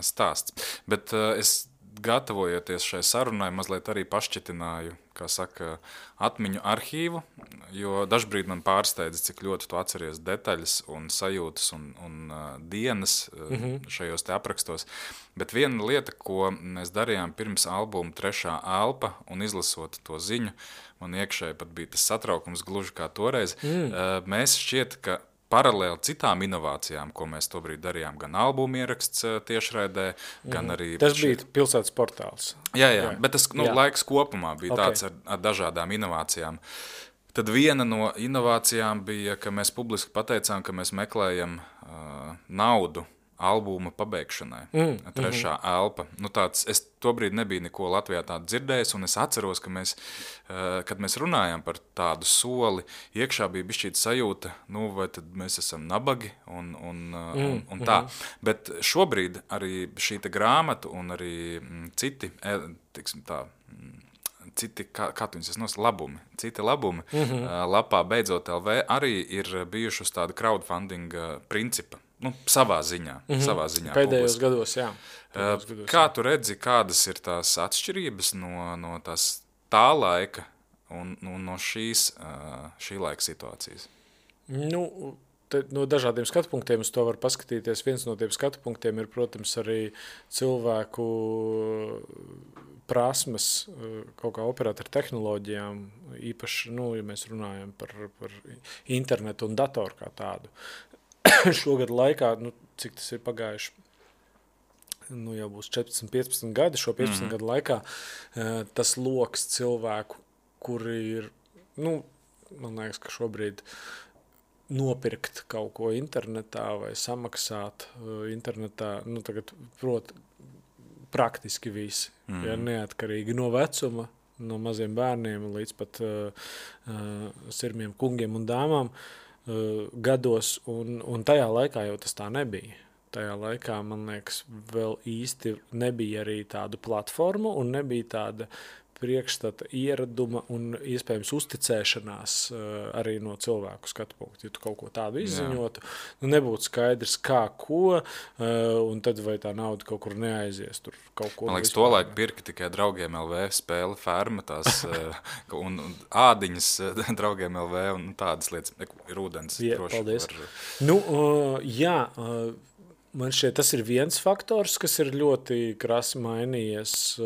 stāsts, bet es gatavojoties šai sarunai, mazliet arī pašķitināju, kā saka, atmiņu arhīvu, jo dažbrīd man pārsteidza, cik ļoti tu atceries detaļas un sajūtas un dienas šajos te aprakstos. Bet viena lieta, ko mēs darījām pirms albuma Trešā elpa un izlasot to ziņu, man iekšēji pat bija tas satraukums gluži kā toreiz, mēs šķiet, ka paralēli citām inovācijām, ko mēs tobrīd darījām, gan albumu ieraksts tiešraidē, gan arī... Tas bija pilsētas portāls. Jā, bet tas laiks kopumā bija tāds ar dažādām inovācijām. Tad viena no inovācijām bija, ka mēs publiski pateicām, ka mēs meklējam naudu albuma pabeigšanai. Trešā elpa. Es tobrīd nebiju neko Latvijā tādu dzirdējis, un es atceros, ka mēs, kad mēs runājām par tādu soli, iekšā bija bišķīt sajūta, vai tad mēs esam nabagi un tā. Bet šobrīd arī šī grāmata un arī citi, tiksim tā, citi, kā tu viņus nos, labumi, citi labumi lapā Beidzot LV arī ir bijuši uz tāda crowdfunding principa. Savā ziņā. Pēdējos gados, jā. Kā tu redzi, kādas ir tās atšķirības no tā laika un no šī laika situācijas? No dažādiem skatu punktiem uz to var paskatīties. Viens no tiem skatu punktiem ir, protams, arī cilvēku prasmes kaut kā operēt ar tehnoloģijām, īpaši, ja mēs runājam par internetu un datoru kā tādu. Šogad laikā, cik tas ir pagājuši, jau būs 14-15 gadi, šo 15 gadu laikā, tas loks cilvēku, kuri ir, man liekas, ka šobrīd nopirkt kaut ko internetā vai samaksāt internetā, tagad praktiski visi, ja, neatkarīgi no vecuma, no maziem bērniem līdz pat sirmiem kungiem un dāmām, gados, un tajā laikā jau tas tā nebija. Tajā laikā, man liekas, vēl īsti nebija arī tādu platformu un nebija tāda priekšstata ieraduma un iespējams uzticēšanās arī no cilvēku skatu punktu. Ja tu kaut ko tādu izziņotu, nebūtu skaidrs kā, ko, un tad vai tā nauda kaut kur neaizies. Tur kaut ko. Man liekas, tolaik pirka tikai Draugiem LV spēle Ferma, tās un ādiņas Draugiem LV un tādas lietas, ir ūdens. Paldies. Jā, man šķiet, tas ir viens faktors, kas ir ļoti krasi mainījies.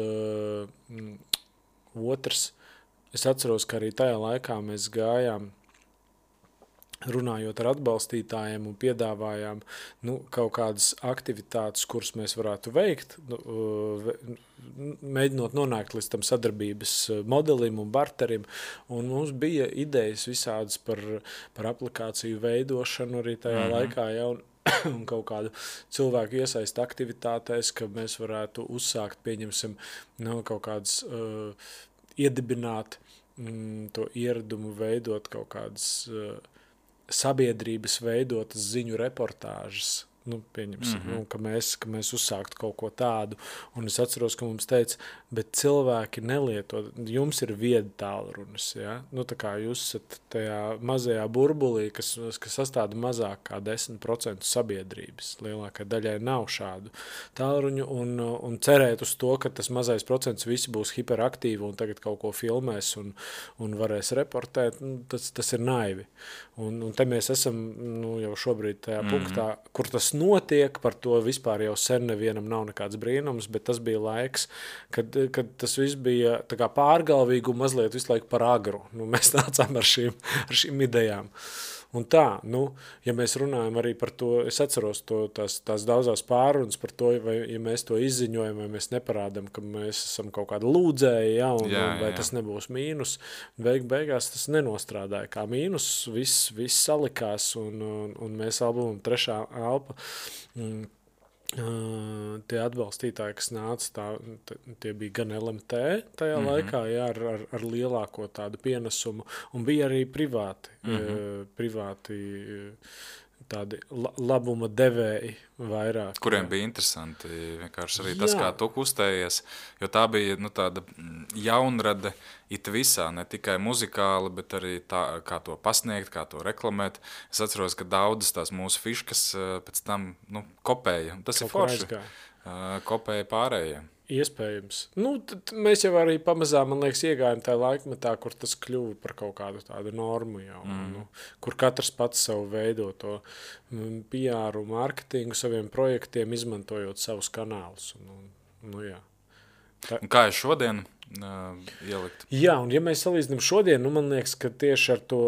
Otrs, es atceros, ka arī tajā laikā mēs gājām, runājot ar atbalstītājiem un piedāvājām kaut kādas aktivitātes, kuras mēs varētu veikt, mēģinot nonākt līdz tam sadarbības modelim un barterim. Un mums bija idejas visādas par aplikāciju veidošanu arī tajā laikā, un kaut kādu cilvēku iesaist aktivitātēs, ka mēs varētu uzsākt, pieņemsim, kaut kādas iedibināt to ieradumu, veidot kaut kādas sabiedrības veidotas ziņu reportāžas, Nu, pieņemsim, ka mēs uzsāktu kaut ko tādu. Un es atceros, ka mums teica, bet cilvēki nelieto, jums ir viedi tālrunis, ja? Nu, tā kā jūs esat tajā mazajā burbulī, kas sastāda mazāk kā 10% sabiedrības. Lielākai daļai nav šādu tālruņu un cerēt uz to, ka tas mazais procents visi būs hiperaktīvi un tagad kaut ko filmēs un varēs reportēt, nu, tas ir naivi. Un te mēs esam jau šobrīd tajā punktā, kur tas notiek, par to vispār jau sen nevienam nav nekāds brīnums, bet tas bija laiks, kad tas viss bija tā kā pārgalvīgi un mazliet visu laiku par agru. Nu, mēs nācām ar šīm idejām. Un tā, ja mēs runājam arī par to, es atceros tās daudzās pārunas par to, vai ja mēs to izziņojam, vai mēs neparādam, ka mēs esam kaut kāda lūdzēji, vai tas nebūs mīnus. Beigās tas nenostrādāja kā mīnus, viss salikās, un mēs albumam Trešā elpa, tie atbalstītāji, kas nāca, tie bija gan LMT tajā laikā, ar lielāko tādu pienesumu, un bija arī privāti tādi labuma devēji vairāk. Kuriem bija interesanti vienkārši arī tas, kā tu kustējies, jo tā bija tāda jaunrade it visā, ne tikai muzikāli, bet arī tā, kā to pasniegt, kā to reklamēt. Es atceros, ka daudzas tās mūsu fiškas pēc tam kopēja. Tas ir forši. Kopēja pārējiem. Iespējams. Tad mēs jau arī pamazām, man liekas, iegājām tajā laikmetā, kur tas kļuva par kaut kādu tādu normu jau, kur katrs pats savu veido to PR, mārketingu saviem projektiem, izmantojot savus kanālus. Jā. Un kā ir šodien ielikt? Jā, un ja mēs salīdzinām šodien, man liekas, ka tieši ar to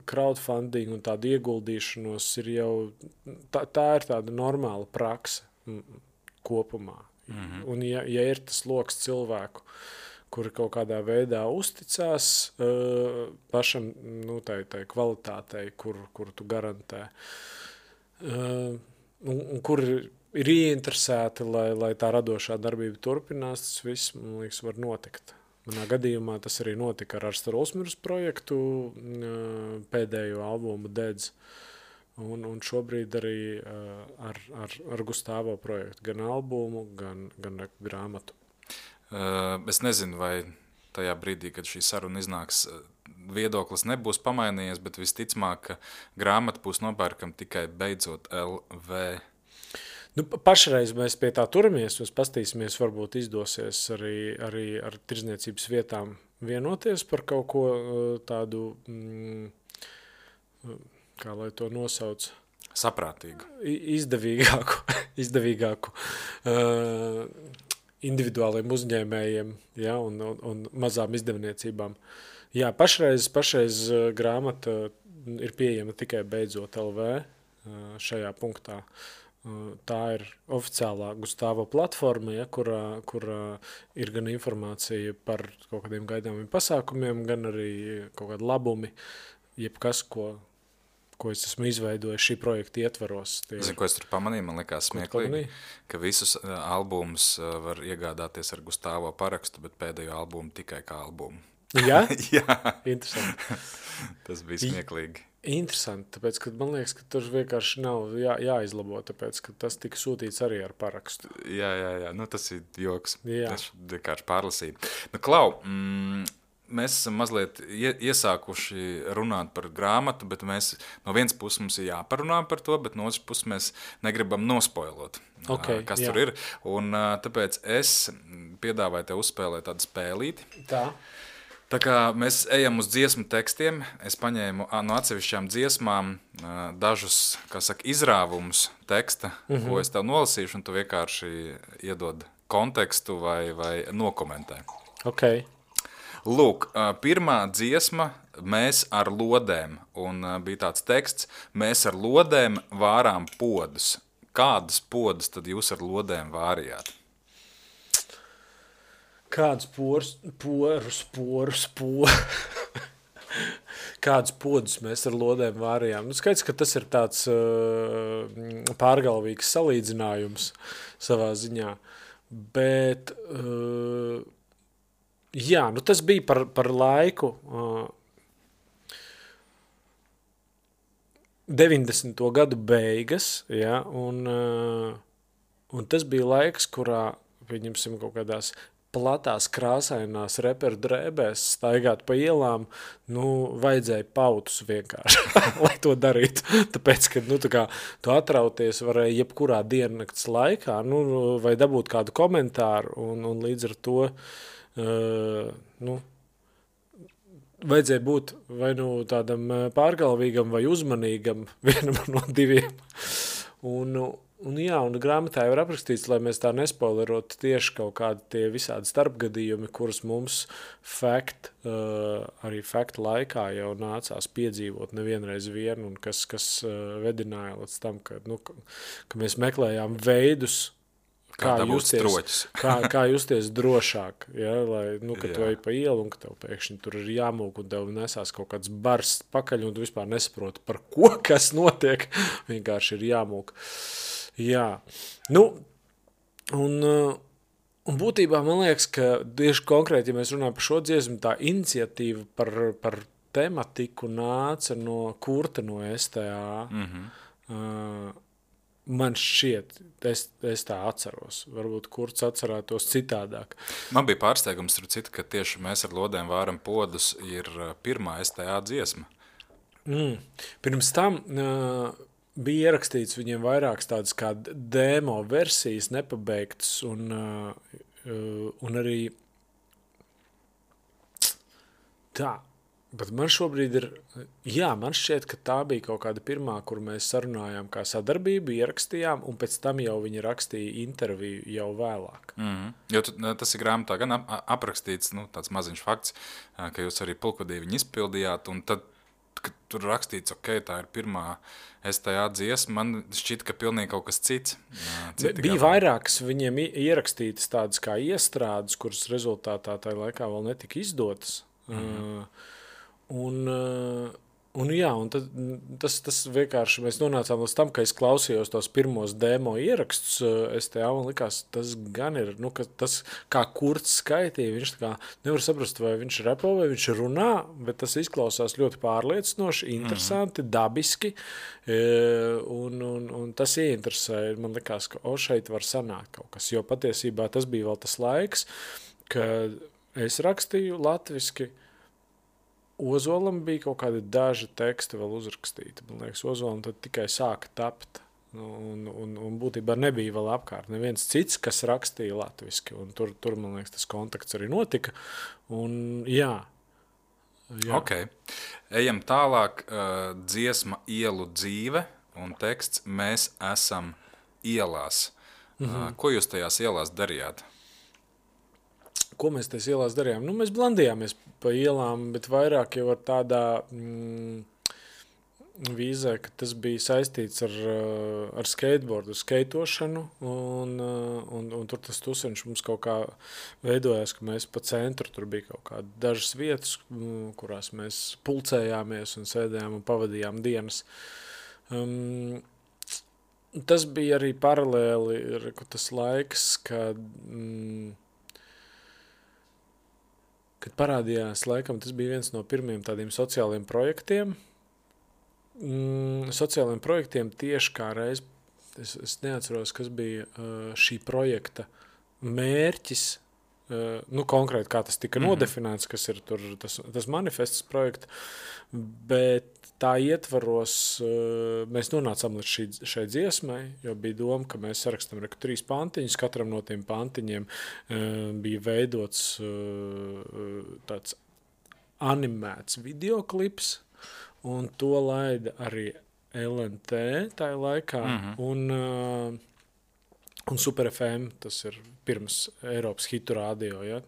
crowdfunding un tādu ieguldīšanos ir jau, tā ir tāda normāla prakse kopumā. Un ja ir tas loks cilvēku, kuri kaut kādā veidā uzticās pašam, tai kvalitātei, kur tu garantē, un kur ir ieinteresēti, lai tā radošā darbība turpinās, tas viss, man liekas, var notikt. Manā gadījumā tas arī notika ar Arsta Rulsmiras projektu, pēdējo albumu Dedz. Un šobrīd arī ar Gustavo projektu, gan albumu, gan grāmatu. Es nezinu, vai tajā brīdī, kad šī saruna iznāks, viedoklis nebūs pamainījies, bet visticamāk, ka grāmata būs nopērkama tikai beidzot LV. Pašreiz mēs pie tā turamies, mēs pastīsimies, varbūt izdosies arī ar tirdzniecības vietām vienoties par kaut ko tādu... kā lai to nosauc? Saprātīgu. Izdevīgāku individuāliem uzņēmējiem, un mazām izdevniecībām. Jā, pašreiz grāmata ir pieejama tikai beidzot LV šajā punktā. Tā ir oficiālā Gustavo platforma, kurā ir gan informācija par kaut kādiem gaidāmiem pasākumiem, gan arī kaut kādi labumi, jebkas, ko es esmu izveidojis šī projekta ietvaros. Zinu, ko es tur pamanīju, man likās smieklīgi, ka visus albumus var iegādāties ar Gustavo parakstu, bet pēdējo albumu tikai kā albumu. Jā? Jā. Interesanti. Tas bija smieklīgi. Interesanti, tāpēc, ka man liekas, ka tur vienkārši nav jāizlabo, tāpēc, ka tas tika sūtīts arī ar parakstu. Jā, tas ir joks. Jā. Es vienkārši pārlasīju. Klau, mēs esam mazliet iesākuši runāt par grāmatu, bet mēs no vienas puses mums ir jāparunā par to, bet no otras puses mēs negribam nospoilot, kas tur ir. Un tāpēc es piedāvāju tev uzspēlēt tādu spēlīti. Tā kā mēs ejam uz dziesmu tekstiem, es paņēmu no atsevišķām dziesmām dažus, izrāvumus teksta, ko es tev nolasīšu, un tu vienkārši iedod kontekstu vai nokomentē. Okay. Lūk, pirmā dziesma Mēs ar lodēm, un bija tāds teksts, mēs ar lodēm vārām podus. Kādas podus tad jūs ar lodēm vārījāt? Kādas Kādus podus mēs ar lodēm vārījām? Skaidrs, ka tas ir tāds pārgalvīgs salīdzinājums savā ziņā, bet jā, tas bija par laiku. 90. gadu beigas, ja, un tas bija laiks, kurā, pieņemsim, kaut kādās platās krāsainās reperu drēbēs staigāt pa ielām, vajadzēja pautus vienkārši, lai to darītu. Tāpēc, ka, tā kā tu atrauties varēja jebkurā diennakts laikā, vai dabūt kādu komentāru, un līdz ar to, vajadzēja būt vai tādam pārgalvīgam vai uzmanīgam, vienam no diviem. Un grāmatā jau ir aprakstīts, lai mēs tā nespoilerotu tieši kaut kādi tie visādi starpgadījumi, kurus mums arī faktu laikā jau nācās piedzīvot nevienreiz vien, un kas vedināja līdz tam, ka mēs meklējām veidus, kā justies drošāk, ja, lai, kad tu ej pa ielu un ka tev pēkšņi tur ir jāmūk un tev nesās kaut kāds bars pakaļ un tu vispār nesaproti, par ko, kas notiek, vienkārši ir jāmūk. Jā, un būtībā man liekas, ka tieši konkrēti, ja mēs runājam par šo dziesmu, tā iniciatīva par tematiku nāca no Kurta no STA. Man šķiet, es tā atceros. Varbūt Kurts atcerētos citādāk. Man bija pārsteigums, ka tieši Mēs ar lodēm vāram podus ir pirmā STA dziesma. Pirms tam bija ierakstīts viņiem vairākas tādas kā demo versijas, nepabeigtas, un arī tā. Bet man šobrīd man šķiet, ka tā bija kaut kāda pirmā, kur mēs sarunājām kā sadarbību, ierakstījām, un pēc tam jau viņi rakstīja interviju jau vēlāk. Jo tas ir grāmatā gan aprakstīts, tāds maziņš fakts, ka jūs arī pulkvedī viņu izpildījāt, un tad, kad tur rakstīts, tā ir pirmā STA dziesma, man šķiet, ka pilnīgi kaut kas cits. Bija vairākas viņiem ierakstītas tādas kā iestrādes, kuras rezultātā tajā laikā vēl netika izdotas. Un tad tas vienkārši mēs nonācām līdz tam, ka es klausījos tos pirmos demo ierakstus STA, man likās, tas gan ir, ka tas, kā Kurts skaitīja, viņš tā kā nevar saprast, vai viņš repo, vai viņš runā, bet tas izklausās ļoti pārliecinoši, interesanti, dabiski, un tas ieinteresēja, man likās, ka šeit var sanākt kaut kas, jo patiesībā tas bija vēl tas laiks, kad es rakstīju latviski. Ozolam bija kaut kādi daži teksti vēl uzrakstīti. Man liekas, Ozolam tad tikai sāka tapt. Un būtībā nebija vēl apkārt neviens cits, kas rakstīja latviski. Un tur, man liekas, tas kontakts arī notika. Un jā. Ok. Ejam tālāk. Dziesma Ielu dzīve un teksts Mēs esam ielās. Ko jūs tajās ielās darījāt? Ko mēs tajās ielās darījām? Mēs blandījāmies pa ielām, bet vairāk jau ar tādā vīzē, ka tas bija saistīts ar skateboardu, skaitošanu, un tur tas tuseņš mums kaut kā veidojās, ka mēs pa centru, tur bija kaut kādi dažas vietas, kurās mēs pulcējāmies un sēdējām un pavadījām dienas. Tas bija arī paralēli tas laiks, kad parādījās, laikam, tas bija viens no pirmiem tādiem sociāliem projektiem. Sociāliem projektiem tieši kā reiz, es neatceros, kas bija šī projekta mērķis, konkrēti kā tas tika nodefinēts, kas ir tur tas manifests projekta, bet tā ietvaros mēs nonācām līdz šai dziesmai, jo bija doma, ka mēs sarakstam 3 pantiņus, katram no tiem pantiņiem bija veidots tāds animēts videoklips, un to laida arī LNT tajā laikā, un Super FM, tas ir pirms Eiropas hitu rādio, ja.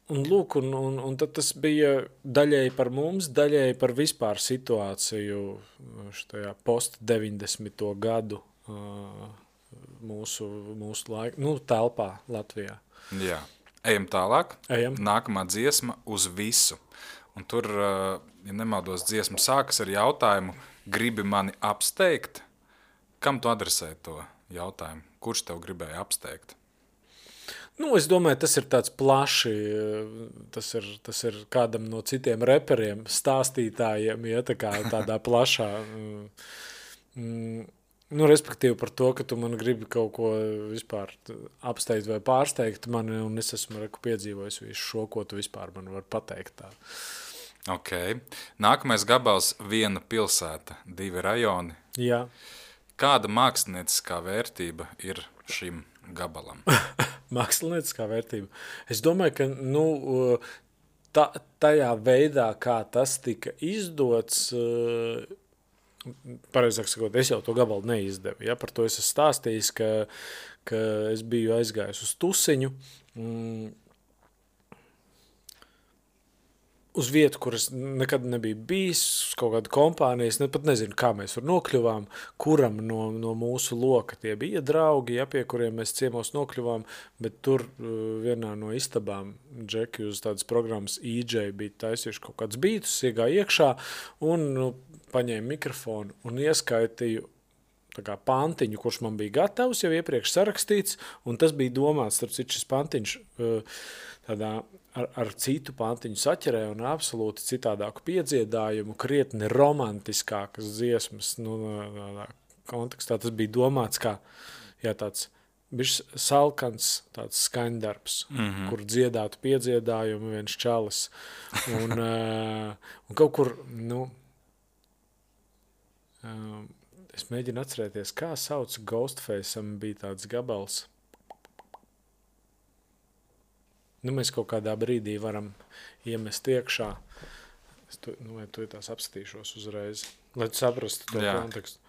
Un lūk, un tad tas bija daļēji par mums, daļēji par vispār situāciju štajā post-90. gadu mūsu laiku, telpā Latvijā. Jā. Ejam tālāk. Ejam. Nākamā dziesma Uz visu. Un tur, ja nemaldos, dziesma sākas ar jautājumu, gribi mani apsteigt? Kam tu adresē to jautājumu? Kurš tev gribēja apsteigt? Es domāju, tas ir tāds plaši, tas ir kādam no citiem reperiem, stāstītājiem, ja tādā plašā, respektīvi par to, ka tu man gribi kaut ko vispār apsteigt vai pārsteigt mani, un es esmu piedzīvojis visu šo, ko tu vispār man var pateikt tā. Ok. Nākamais gabals – viena pilsēta, 2 rajoni. Jā. Kāda mākslinieckā vērtība ir šim gabalam? Mākslinieckā vērtība. Es domāju, ka tajā veidā, kā tas tika izdots, pareizāk sakot, es jau to gabalu neizdevu. Ja? Par to es esmu stāstījis, ka es biju aizgājis uz tusiņu, uz vietu, kur es nekad nebiju bijis, uz kaut kādu kompāniju, es pat nezinu, kā mēs tur nokļuvām, kuram no mūsu loka tie bija draugi, ja, pie kuriem mēs ciemos nokļuvām, bet tur vienā no istabām Džeki uz tādas programmas EJ bija taisījuši kaut kāds bītus, iegāja iekšā un paņēma mikrofonu un ieskaitīju tā kā pantiņu, kurš man bija gatavs, jau iepriekš sarakstīts, un tas bija domāts, starp citu šis pantiņš tādā ar citu pantiņu saķerē un absolūti citādāku piedziedājumu, krietni romantiskākas dziesmas, kontekstā tas bija domāts kā, tāds bišs salkans tāds skaņdarbs, kur dziedātu piedziedājumu viens čalis, un kaut kur, es mēģinu atcerēties, kā sauc Ghostface'am bija tāds gabals. Mēs kaut kādā brīdī varam iemest iekšā. Es tu tās apskatīšos uzreiz, lai tu saprastu to kontekstu.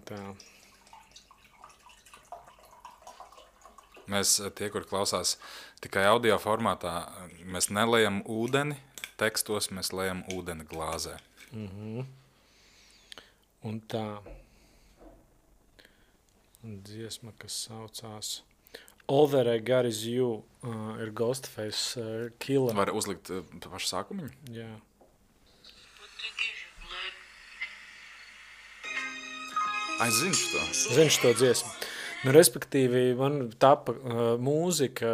Tā. Mēs, tie, kur klausās tikai audio formātā, mēs nelejam ūdeni tekstos, mēs lejam ūdeni glāzē. Un tā. Dziesma, kas saucās All That I Got Is You, ir Ghostface Killer. Var uzlikt pašu sākumiņu? Jā. Zinu to dziesmu. Respektīvi, man tapa mūzika,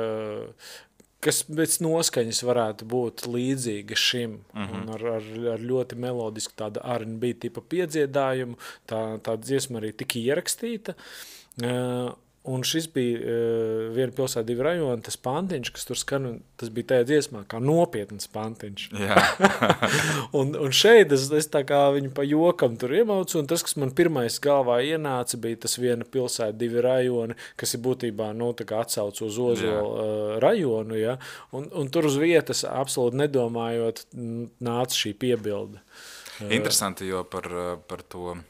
kas pēc noskaņas varētu būt līdzīga šim, un ar ļoti melodisku tādu R&B tipa piedziedājumu, tā dziesma arī tika ierakstīta, un šis bija viena pilsēta 2 rajoni, tas pantiņš, kas tur skan, tas bija tajā dziesmā, kā nopietns pantiņš. Jā. un šeit es tā kā viņu pa jokam tur iemaucu, un tas, kas man pirmais galvā ienāca, bija tas viena pilsēta 2 rajoni, kas ir būtībā, tā kā atsauc uz Ozolu rajonu, ja, un tur uz vietas absolūti nedomājot nāca šī piebilde. Interesanti, jo par to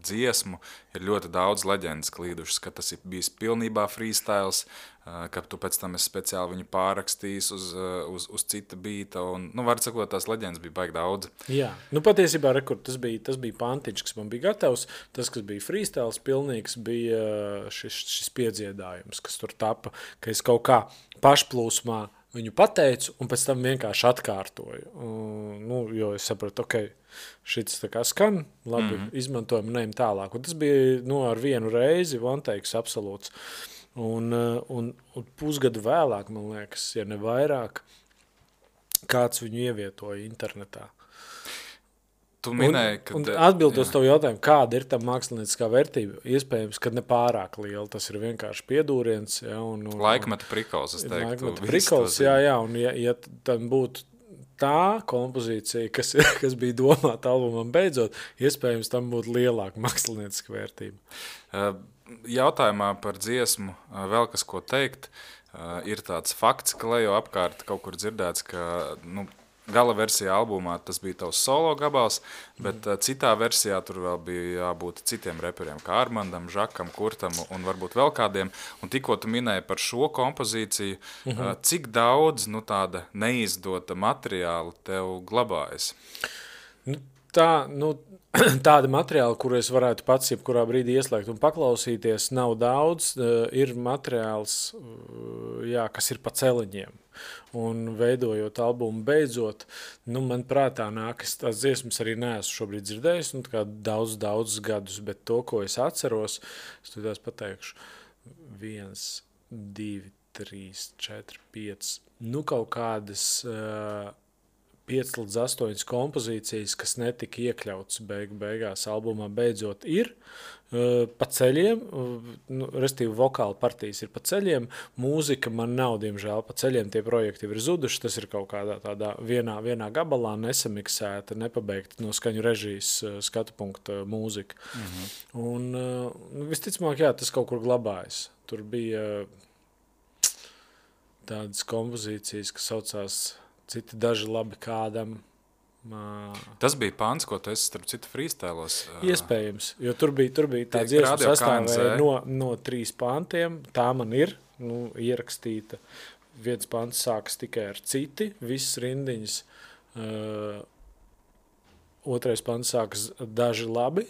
dziesmu ir ļoti daudz leģendas klīdušas, ka tas ir bijis pilnībā freestyles, ka tu pēc tam esi speciāli viņu pārrakstījis uz cita bīta, un, var sakot, tās leģendas bija baigi daudz. Jā, patiesībā, tas bija pantiņš, kas man bija gatavs, tas, kas bija freestyles pilnīgs, bija šis piedziedājums, kas tur tapa, ka es kaut kā pašplūsmā viņu pateicu, un pēc tam vienkārši atkārtoju. Jo es sapratu, šits tā kā skan, labi, izmantojam un ejam tālāk. Un tas bija ar vienu reizi, one takes absolūts. Un pusgadu vēlāk, man liekas, ja ne vairāk, kāds viņu ievietoja internetā. Tu minēji, un atbildot tev jautājumu, kāda ir tam mākslinieckā vērtība, iespējams, ka ne pārāk liela, tas ir vienkārši piedūriens. Ja, laikmeta prikols, es teiktu. Laikmeta prikols, jā, un ja tam būtu tā kompozīcija, kas bija domāta albumam beidzot, iespējams, tam būtu lielāka mākslinieckā vērtība. Jautājumā par dziesmu vēl kas ko teikt, ir tāds fakts, ka lejo apkārt kaut kur dzirdēts, ka, gala versijā albumā tas bija tavs solo gabals, bet citā versijā tur vēl bija jābūt citiem reperiem, kā Armandam, Žakam, Kurtam un varbūt vēl kādiem. Un tikko tu minēji par šo kompozīciju, cik daudz tāda neizdota materiāla tev glabājas? Tāda materiāla, kuru es varētu pats jebkurā brīdī ieslēgt un paklausīties, nav daudz. Ir materiāls, kas ir pa celiņiem. Un veidojot albumu beidzot, man prātā nāk, es tās dziesmas arī neesmu šobrīd dzirdējis, daudz gadus, bet to, ko es atceros, es tādās pateikšu, 2, 3, 4, 5, nu kaut kādas 5 līdz 8 kompozīcijas, kas netika iekļautas beigās albumā, beidzot ir pa ceļiem, restīvi vokāla partijas ir pa ceļiem, mūzika man nav, diemžēl, pa ceļiem, tie projekti ir zuduši, tas ir kaut kādā tādā vienā gabalā nesamiksēta, nepabeigta no skaņu režijas skatu punkta mūzika. Un visticamāk, jā, tas kaut kur glabājas. Tur bija tādas kompozīcijas, kas saucās citi daži labi kādam. Tas bija pants, ko tu esi starp citu freestylos. Iespējams, jo tur bija tā dziesma sastāvēja no 3 pantiem. Tā man ir ierakstīta. Viens pants sākas tikai ar citi, visas rindiņas. Otrais pants sākas daži labi,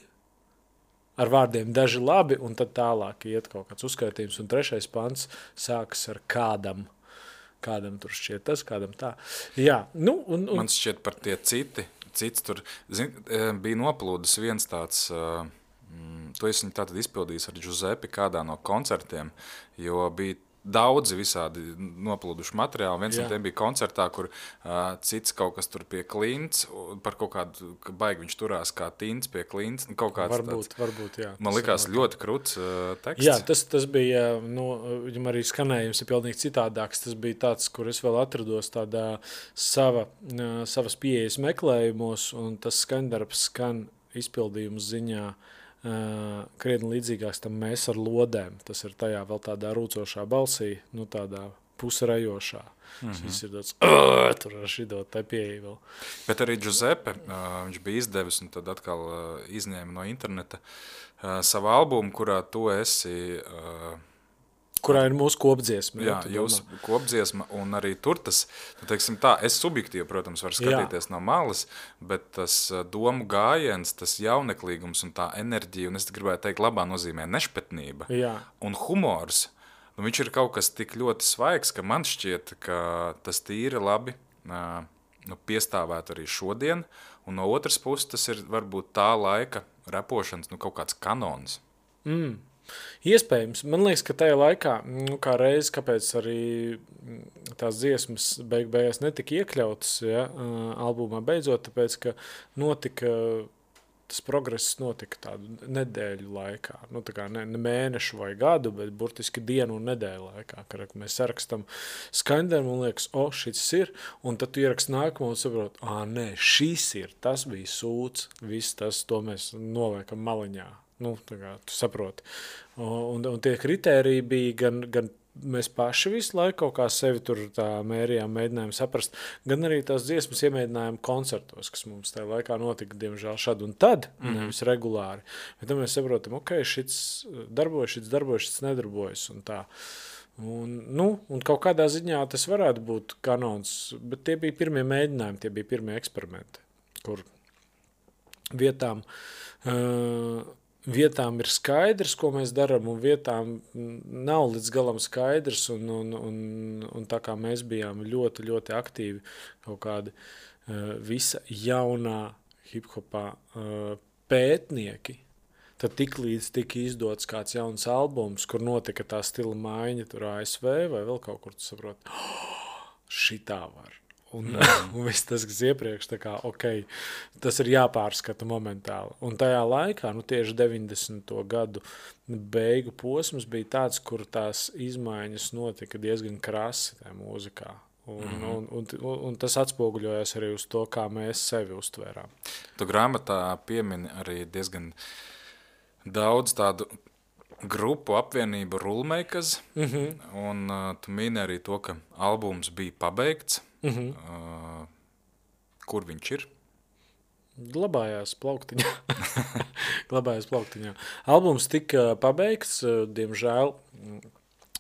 ar vārdiem daži labi, un tad tālāk iet kaut kāds uzskaitījums. Un 3. pants sākas ar kādam. Kādam tur šķiet tas, kādam tā. Jā, Man šķiet par tie cits tur, bija noplūdis viens tāds, to es viņu tātad izpildījis ar Giuseppe kādā no koncertiem, jo bija daudzi visādi noplūduši materiāli. Viens no tiem bija koncertā, kur cits kaut kas tur pie klints, par kaut kādu, ka baigi viņš turās kā tints pie klints. Kaut kāds varbūt, jā. Man likās ļoti kruts teksts. Jā, tas bija, viņam arī skanējums ir pilnīgi citādāks. Tas bija tāds, kur es vēl atrados tādā savas pieejas meklējumos, un tas skandarbs skan izpildījums ziņā krietni līdzīgāks tam Mēs ar lodēm. Tas ir tajā vēl tādā rūcošā balsī, tādā pusrejošā. Šis ir tāds, tur ar šito te pieeja vēl. Bet arī Giuseppe, viņš bija izdevis un tad atkal izņēma no interneta savu albumu, kurā tu esi... kurā ir mūsu kopdziesma. Jā, jūsu kopdziesma, un arī tur tas, teiksim tā, es subjektīvi, protams, varu skatīties no malas, bet tas domu gājiens, tas jauneklīgums un tā enerģija, un es gribētu teikt, labā nozīmē nešpetnība un humors, viņš ir kaut kas tik ļoti svaigs, ka man šķiet, ka tas tīri labi piestāvētu arī šodien, un no otras puses tas ir varbūt tā laika repošanas, kaut kāds kanons. Iespējams. Man liekas, ka tajā laikā, kā reiz, kāpēc arī tās dziesmas beigās netika iekļautas albumā beidzot, tāpēc, ka tas progress notika tādu nedēļu laikā. Tā kā ne mēnešu vai gadu, bet burtiski dienu un nedēļu laikā, kad mēs sarakstam skaņdarbu un liekas, šis ir, un tad tu ieraksti nākamo un saprot, nē, šis ir, tas bija sūds, viss tas, to mēs noliekam maliņā. Tu saproti. Un tie kritēriji bija gan mēs paši visu laiku kaut kā sevi tur tā mērījām, mēģinājām saprast, gan arī tās dziesmas iemēģinājām koncertos, kas mums tajā laikā notika, diemžēl, šad un tad, nevis regulāri. Bet tad mēs saprotam, šits darbojas, šits nedarbojas un tā. Un kaut kādā ziņā tas varētu būt kanons, bet tie bija pirmie mēģinājumi, tie bija pirmie eksperimenti, kur vietām ir skaidrs, ko mēs darām, un vietām nav līdz galam skaidrs, un tā kā mēs bijām ļoti, ļoti aktīvi kaut kādi visa jaunā hip-hopā pētnieki, tad tiklīdz tika izdots kāds jauns albums, kur notika tā stila maiņa tur ASV vai vēl kaut kur, tu saproti, šitā var. Un viss tas, kas iepriekš, tas ir jāpārskata momentāli. Un tajā laikā, tieši 90. gadu beigu posms bija tāds, kur tās izmaiņas notika diezgan krasi tajā mūzikā. Un tas atspoguļojās arī uz to, kā mēs sevi uztvērām. Tu grāmatā piemini arī diezgan daudz tādu grupu apvienību Rulmakers, un tu mini arī to, ka albums bija pabeigts. Kur viņš ir? Glabājās plauktiņā. Albums tika pabeigts, diemžēl,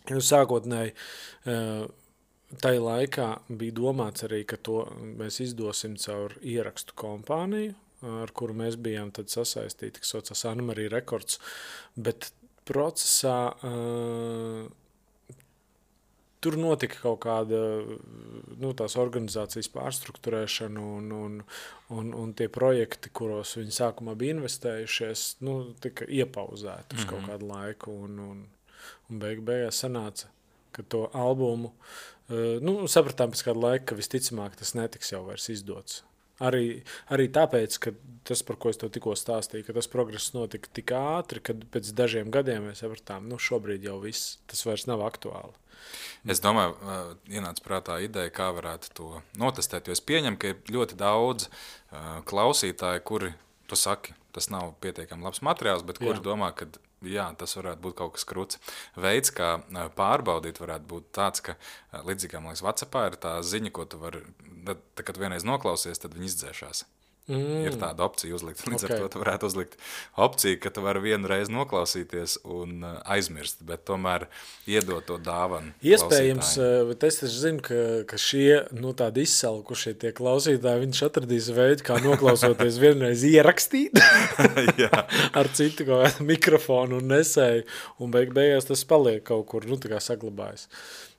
sākotnēji tajā laikā bija domāts arī, ka to mēs izdosim caur ierakstu kompāniju, ar kuru mēs bijām tad sasaistīti, kas saucās Anna-Marija Records, bet procesā tur notika kaut kāda tās organizācijas pārstruktūrēšana un tie projekti, kuros viņi sākumā bija investējušies, tika iepauzēti uz kaut kādu laiku un beigās sanāca ka to albumu, sapratām pēc kāda laika, ka visticamāk tas netiks jau vairs izdots. Arī tāpēc, ka tas, par ko es to tikko stāstīju, ka tas progress notika tik ātri, kad pēc dažiem gadiem mēs sapratām, šobrīd jau viss, tas vairs nav aktuāli. Es domāju, ienāca prātā ideja, kā varētu to notestēt, jo es pieņemu, ka ir ļoti daudz klausītāji, kuri, tu saki, tas nav pietiekami labs materiāls, bet kuri domā, ka jā, tas varētu būt kaut kas kruts. Veids, kā pārbaudīt, varētu būt tāds, ka līdzīgi, man liekas, WhatsAppā ir tā ziņa, ko tu vari, tad, kad vienreiz noklausies, tad viņi izdzēšās. Ir tāda opcija uzlikt. Līdz ar to tu varētu uzlikt opciju, ka tu vari vienu reizi noklausīties un aizmirst, bet tomēr iedot to dāvanu. Iespējams, bet es taču zinu, ka šie tādi izsalkušie tie klausītāji, viņš atradīs veidu, kā noklausoties vienreiz ierakstīt ar citu kaut kādu mikrofonu un nesēju, un beigās tas paliek kaut kur, tā kā saglabājas.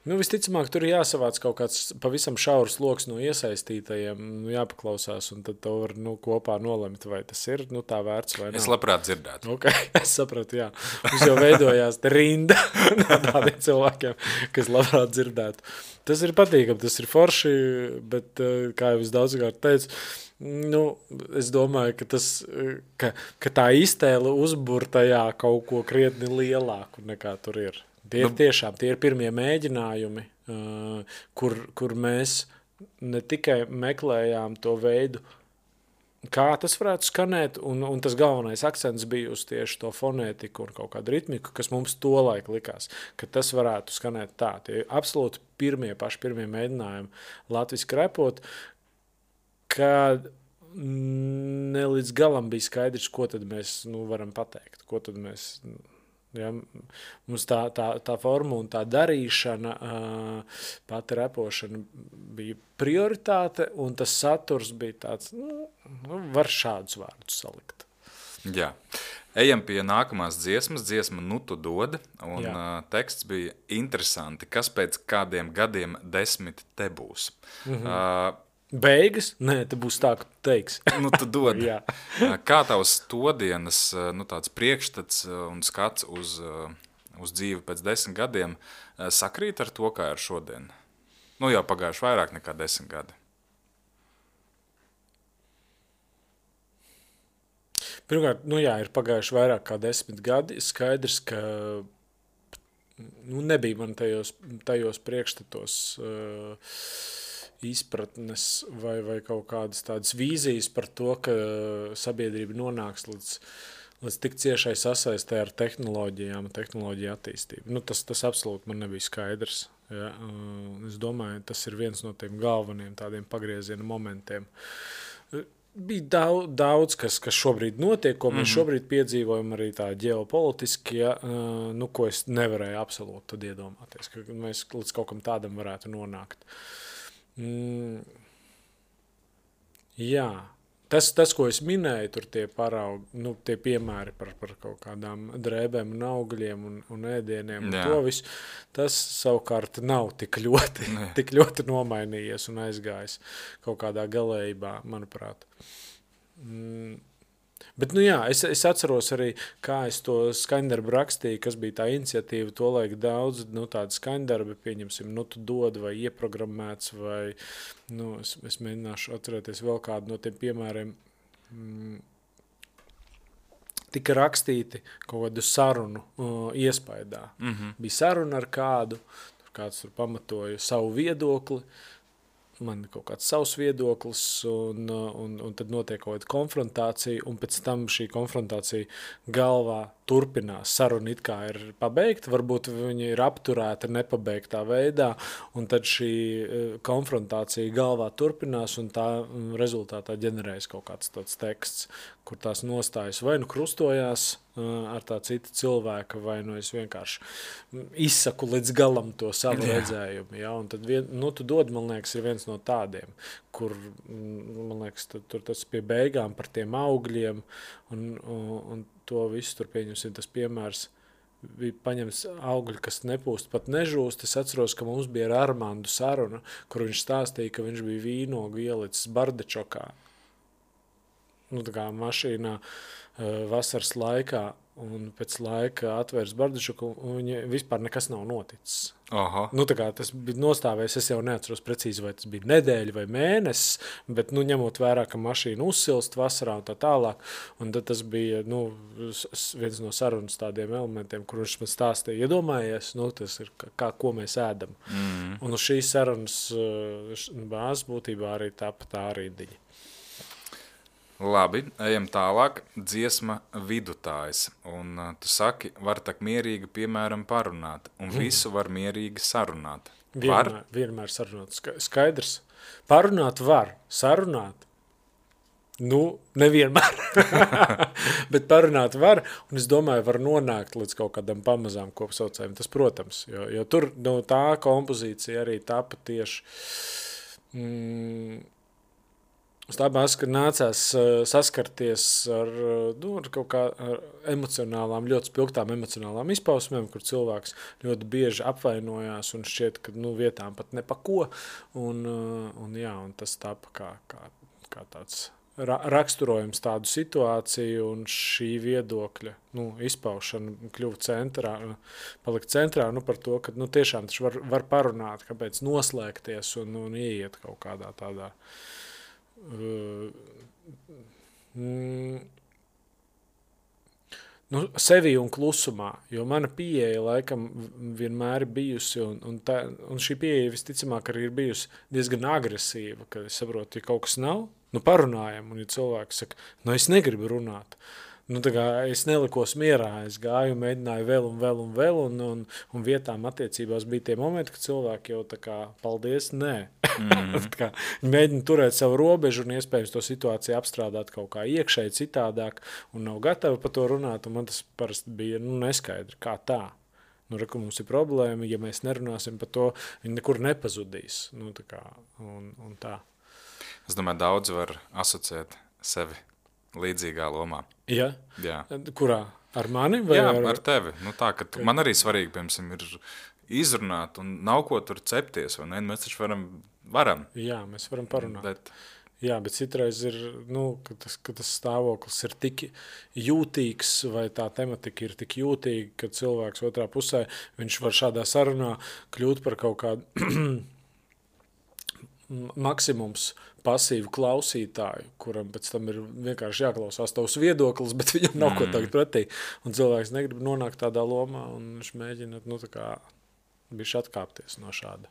Visticamāk, tur ir jāsavāc kaut kāds pavisam šaurs loks no iesaistītajiem, jāpaklausās, un tad to var kopā nolemt, vai tas ir tā vērts vai nav. Es labprāt dzirdētu. Okay, es sapratu, jā. Mums jau veidojās te rinda no tādiem cilvēkiem, kas labprāt dzirdētu. Tas ir patīkami, tas ir forši, bet, kā jau es daudzkārt teicu, es domāju, ka tā iztēle uzbur tajā kaut ko krietni lielāku nekā tur ir. Tie ir pirmie mēģinājumi, kur mēs ne tikai meklējām to veidu, kā tas varētu skanēt, un tas galvenais akcents bija uz tieši to fonētiku un kaut kādu ritmiku, kas mums tolaik likās, ka tas varētu skanēt tā. Tie absolūti paši pirmie mēģinājumi latviski repot, kad ne līdz galam bija skaidrs, ko tad mēs varam pateikt, ko tad mēs... Ja, mums tā forma un tā darīšana, pati repošana bija prioritāte, un tas saturs bija tāds, var šādus vārdus salikt. Jā. Ejam pie nākamās dziesma Tu dod, un teksts bija interesanti, kas pēc kādiem gadiem 10 te būs. Beigas? Nē, te būs tā, ka teiks. Tu dod. Kā tavs todienas tāds priekšstats un skats uz dzīvi pēc 10 gadiem sakrīt ar to, kā ar šodien? Jau pagājuši vairāk nekā 10 gadi. Pirmkārt, ir pagājuši vairāk kā 10 gadi. Skaidrs, ka nebija man tajos priekšstatos izpratnes vai kaut kādas tādas vīzijas par to, ka sabiedrība nonāks līdz tik ciešai sasaistē ar tehnoloģijām, tehnoloģiju attīstību. Tas absolūti man nebija skaidrs. Ja? Es domāju, tas ir viens no tiem galveniem tādiem pagrieziena momentiem. Bija daudz kas šobrīd notiek, ko mēs šobrīd piedzīvojam arī tā ģeopolitiski, ko es nevarēju absolūti tad iedomāties, ka mēs līdz kaut kam tādam varētu nonākt. Jā, tas, ko es minēju, tur tie paraugi, tie piemēri par kaut kādām drēbēm un augļiem un ēdieniem un to visu, tas savukārt nav tik ļoti nomainījies un aizgājis kaut kādā galējībā, manuprāt. Bet, es atceros arī, kā es to skaņdarbu rakstīju, kas bija tā iniciatīva, tolaik daudz, tādi skaņdarbi, pieņemsim, Tu dod vai ieprogrammēts, vai, es mēģināšu atcerēties vēl kādu no tiem piemēriem, tika rakstīti kaut kādu sarunu iespaidā. Bija saruna ar kādu, kāds tur pamatoja savu viedokli, man kaut kāds savs viedoklis, un tad notiek kaut kāda konfrontācija, un pēc tam šī konfrontācija galvā turpinās. Saruna it kā ir pabeigta, varbūt viņa ir apturēta nepabeigtā veidā, un tad šī konfrontācija galvā turpinās, un tā rezultātā ģenerējas kaut kāds tāds teksts, kur tās nostājas vai krustojās ar tā cita cilvēka, vai es vienkārši izsaku līdz galam to savu redzējumu. Ja? Un tad Tu dod, man liekas, ir viens no tādiem, kur, man liekas, tur tas pie beigām par tiem augļiem, un to visu tur pieņemsim, tas piemērs bija paņemts augļi, kas nepūst, pat nežūst. Es atceros, ka mums bija ar Armandu saruna, kur viņš stāstīja, ka viņš bija vīnogu ielicis bardečokā. nu, tā kā mašīnā vasaras laikā, un pēc laika atvērs bardačuku, un viņa vispār nekas nav noticis. Aha. Nu, tā kā tas bija nostāvējis, es jau neatceros precīzi, vai tas bija nedēļa vai mēnesis, bet, nu, ņemot vērā, ka mašīna uzsilst vasarā un tā tālāk, un tad tas bija, nu, viens no sarunas tādiem elementiem, kur viņš man stāstīja, iedomājies, nu, tas ir ko mēs ēdam. Un uz šīs sarunas bāzes būtībā arī tāpa tā rindiņa. Labi, ejam tālāk. Dziesma Vidutājs. Un tu saki, var tak mierīgi, piemēram, parunāt. Un visu var mierīgi sarunāt. Vienmēr sarunāt. Skaidrs. Parunāt var. Sarunāt? Nu, nevienmēr. Bet parunāt var. Un es domāju, var nonākt līdz kaut kādam pamazām kopsaucējiem. Tas, protams. Jo tur no tā kompozīcija arī tapa tieši... Stāpās, ka nācās saskarties ar kaut kā emocionālām, ļoti spilgtām emocionālām izpausmēm, kur cilvēks ļoti bieži apvainojās un šķiet, ka vietām pat nepako. Un tas tāpa kā tāds raksturojums tādu situāciju, un šī viedokļa izpaušana kļuva palika centrā par to, ka tiešām taču var parunāt, kāpēc noslēgties un ieiet kaut kādā tādā sevi un klusumā, jo mana pieeja laikam vienmēr ir bijusi, un šī pieeja visticamāk arī ir bijusi diezgan agresīva, kad es saprotu, ja kaut kas nav, parunājam, un ja cilvēks saka, es negribu runāt, tā kā es nelikos mierā, es gāju, mēģināju vēl, un vietām attiecībās bija tie momenti, ka cilvēki jau tā kā, paldies, nē. Viņi mēģina turēt savu robežu un iespējams to situāciju apstrādāt kaut kā iekšēji citādāk un nav gatavi par to runāt, un man tas parasti bija neskaidri, kā tā. Ka mums ir problēma, ja mēs nerunāsim par to, viņi nekur nepazudīs. Tā kā, un tā. Es domāju, daudz var asociēt sevi līdzīgā lomā. Ja? Jā. Kurā? Ar mani? Vai Jā, ar tevi. Tā, ka man arī svarīgi, piemēram, ir izrunāt un nav ko tur cepties, vai ne? Mēs taču varam. Jā, mēs varam parunāt. Bet... Jā, bet citreiz ir, ka tas stāvoklis ir tik jūtīgs vai tā tematika ir tik jūtīga, ka cilvēks otrā pusē, viņš var šādā sarunā kļūt par kaut kādu maksimums pasīvu klausītāju, kuram pēc tam ir vienkārši jāklausās tavs viedoklis, bet viņam nav ko tagad pretī. Un cilvēks negrib nonākt tādā lomā, un viņš mēģina, tā kā bišķi atkāpties no šāda.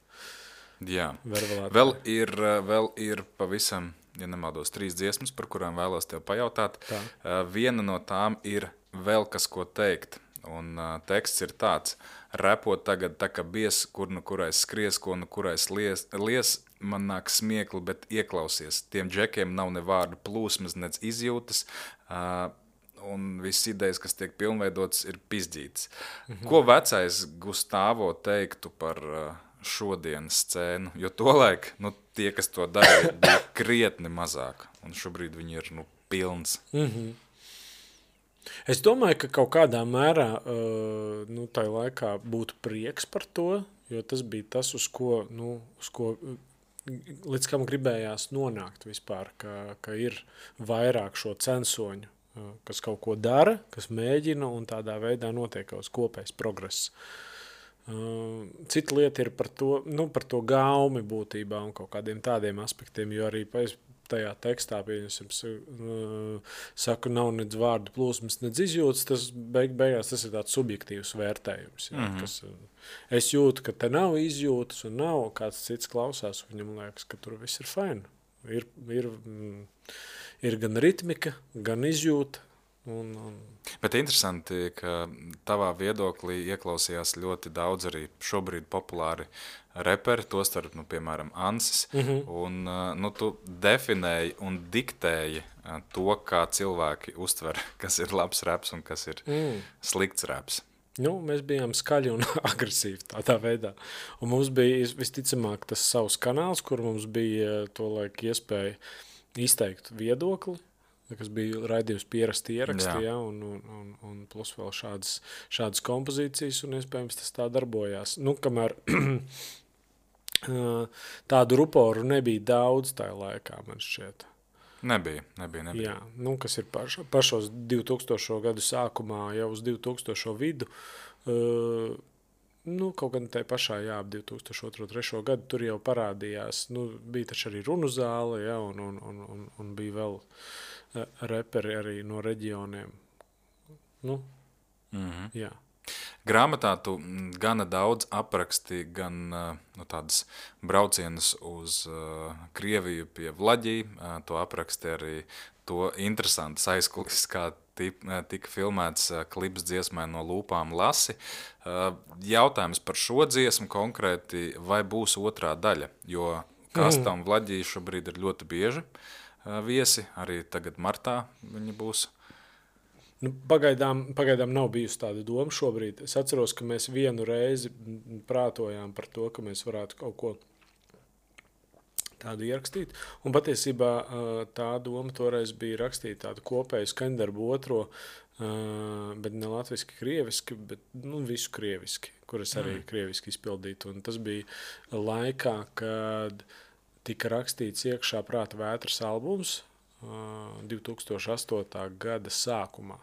Jā. Vēl ir pavisam, ja nemaldos, 3 dziesmas, par kurām vēlos tev pajautāt. Viena no tām ir Vēl kas ko teikt. Un teksts ir tāds: repot tagad tā kā bies, kur nu kurais skries, ko nu kurais lies, man nāk smiekli, bet ieklausies. Tiem džekiem nav ne vārdu plūsmas, nec izjūtas, un visas idejas, kas tiek pilnveidotas, ir pizdītas. Ko vecais Gustavo teiktu par šodienas scēnu? Jo tolaik, tie, kas to darīja, bija krietni mazāk, un šobrīd viņi ir, pilns. Es domāju, ka kaut kādā mērā tajā laikā būtu prieks par to, jo tas bija tas, uz ko līdz kam gribējās nonākt vispār, ka ir vairāk šo censoņu, kas kaut ko dara, kas mēģina, un tādā veidā notiek kaut kāds kopējs progress. Cita lieta ir par to gaumi būtībā un kaut kādiem tādiem aspektiem, jo arī tajā tekstā, saku, nav nedz vārdu plūsmas, nedz izjūtas, tas beigās tas ir tāds subjektīvs vērtējums. Jā, kas, es jūtu, ka te nav izjūtas un nav kāds cits klausās, viņam liekas, ka tur viss ir fine. Ir gan ritmika, gan izjūta. Bet interesanti, ka tavā viedoklī ieklausījās ļoti daudz arī šobrīd populāri reperi, tostarp, piemēram, Ansis, un tu definēji un diktēji to, kā cilvēki uztver, kas ir labs reps un kas ir slikts reps. Mēs bijām skaļi un agresīvi tādā veidā. Un mums bija visticamāk tas savs kanāls, kur mums bija to laiku iespēja izteikt viedokli, kas bija raidījums pierasti ieraksti, un plus vēl šādas kompozīcijas, un iespējams tas tā darbojās. Kamēr tādu ruporu nebija daudz tajā laikā, man šķiet. Nebija. Jā, nu, kas ir pašos 2000. Gadu sākumā, jau uz 2000. Vidu. Nu, kaut gan tajā pašā, jā, ap 2002-2003. Gadu tur jau parādījās, nu, bija taču arī runu zāle, jā, un bija vēl reperi arī no reģioniem. Nu, jā. Grāmatā tu gana daudz apraksti gan tādas braucienus uz Krieviju pie Vlaģī, to apraksti arī to interesantas aizkulis, kā tika filmēts klips dziesmai No lūpām lasi. Jautājums par šo dziesmu konkrēti, vai būs otrā daļa, jo Kastam Vlaģī šobrīd ir ļoti bieži viesi, arī tagad martā viņi būs. Nu, pagaidām nav bijusi tāda doma šobrīd. Es atceros, ka mēs vienu reizi prātojām par to, ka mēs varētu kaut ko tādu ierakstīt. Un patiesībā tā doma toreiz bija rakstīt tādu kopēju skaņdarbu otro, bet ne latviski, krieviski, bet visu krieviski, kuras arī krieviski izpildītu. Un tas bija laikā, kad tika rakstīts iekšā Prāta vētras albums 2008. Gada sākumā.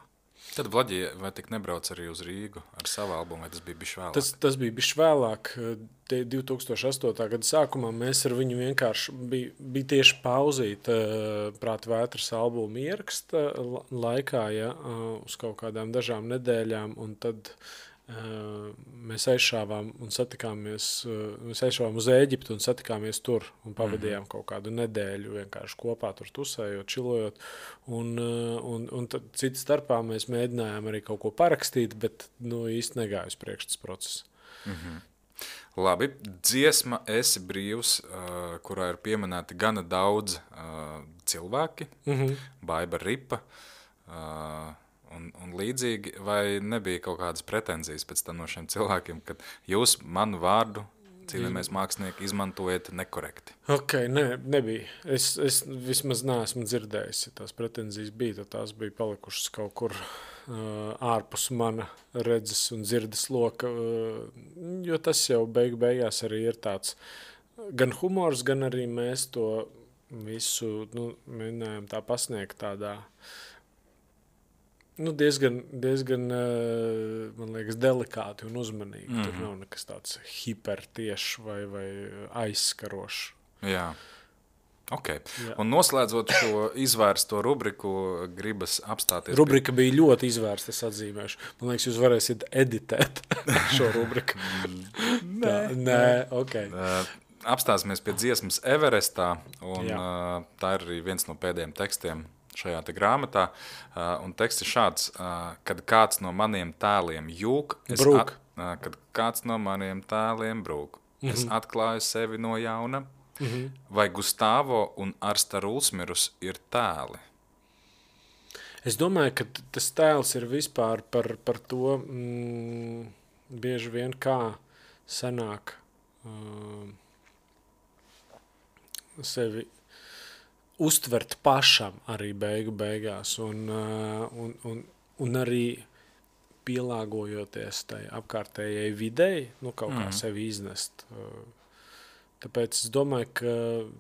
Tad Vlaģī vai tik nebrauc arī uz Rīgu ar savu albumu, vai tas bija bišķi vēlāk? Tas bija bišķi vēlāk. 2008. Gada sākumā mēs ar viņu vienkārši bija tieši pauzīt Prāta vētras albumu ieraksta laikā, ja, uz kaut kādām dažām nedēļām, un tad mēs aizšāvām un satikāmies, mēs aizšāvām uz Ēģiptu un satikāmies tur un pavadījām kaut kādu nedēļu vienkārši kopā tur tusējot, čilojot, un tad citas starpā mēs mēģinājām arī kaut ko parakstīt, bet īsti negāja uz priekš tas process. Labi, dziesma Esi brīvs, kurā ir pieminēti gana daudz cilvēki, Baiba Ripa, un līdzīgi, vai nebija kaut kādas pretenzijas pēc tam no šiem cilvēkiem, kad jūs manu vārdu, cīnāmies mākslinieki, izmantojat nekorekti? Nebija. Es vismaz neesmu dzirdējis, ja tās pretenzijas bija, tad tās bija palikušas kaut kur ārpus mana redzes un dzirdes loka, jo tas jau beigās arī ir tāds gan humors, gan arī mēs to visu mēģinājām tā pasniegt tādā diezgan, man liekas, delikāti un uzmanīgi. Tur nav nekas tāds hipertiešs vai aizskarošs. Jā. Okay. Jā. Un noslēdzot šo izvērsto rubriku, gribas apstāties. Rubrika bija ļoti izvērsta, es atzīmēšu. Man liekas, jūs varēsiet editēt šo rubriku. Nē, ok. Apstāsimies pie dziesmas Everestā, un tā ir arī viens no pēdējiem tekstiem šajā te grāmatā, un teksts ir šāds, kad kāds no maniem tēliem jūk, kad kāds no maniem tēliem brūk, es atklāju sevi no jauna, vai Gustavo un Arsta Rulsmirus ir tēli? Es domāju, ka tas tēls ir vispār par to bieži vien kā sanāk sevi uztvert pašam arī beigās un arī pielāgojoties tai apkārtējai videi, kaut kā sevi iznest. Tāpēc es domāju, ka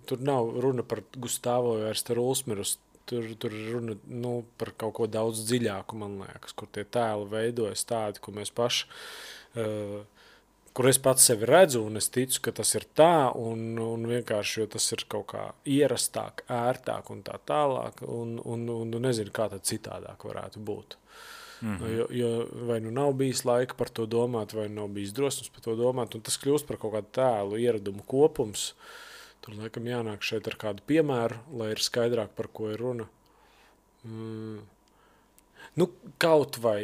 tur nav runa par Gustavo vai Arsta Rulsmirus, tur runa par kaut ko daudz dziļāku, man liekas, kur tie tēli veidojas tādi, ko mēs paši kur es pats sevi redzu, un es ticu, ka tas ir tā, un vienkārši, jo tas ir kaut kā ierastāk, ērtāk un tā tālāk, un nezinu, kā tad citādāk varētu būt. Jo vai nav bijis laika par to domāt, vai nav bijis drosmes par to domāt, un tas kļūst par kaut kādu tēlu ieradumu kopums. Tur, laikam, jānāk šeit ar kādu piemēru, lai ir skaidrāk, par ko ir runa. Kaut vai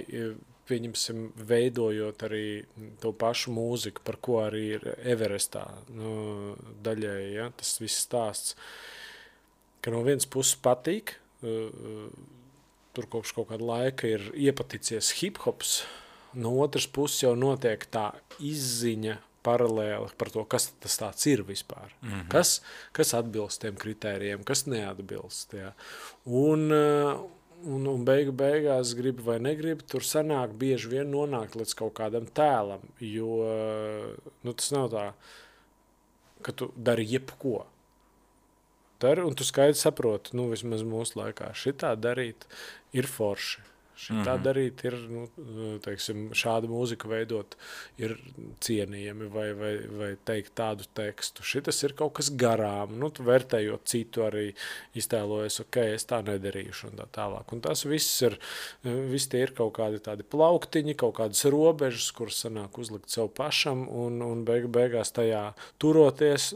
pieņemsim, veidojot arī to pašu mūziku, par ko arī ir Everestā daļēji, ja, tas viss stāsts, ka no vienas puses patīk, tur kopš kaut kāda laika ir iepaticies hip-hops, no otras puses jau notiek tā izziņa paralēli par to, kas tas tāds ir vispār. Kas atbilst tiem kritērijiem, kas neatbilst. Ja. Un beigās gribi vai negribi, tur sanāk bieži vien nonākt līdz kaut kādam tēlam, jo tas nav tā, ka tu dari jebko. dari, un tu skaidri saproti, nu, vismaz mūsu laikā šitā darīt ir forši. Šitā darīt ir, nu, teiksim, šādu mūziku veidot ir cienījami vai teikt tādu tekstu. Šitas ir kaut kas garām, nu, tu vērtējot citu arī iztēlojies, ok, es tā nedarīšu un tā tālāk. Un tas viss tie ir kaut kādi tādi plauktiņi, kaut kādas robežas, kuras sanāk uzlikt sev pašam un beigās tajā turoties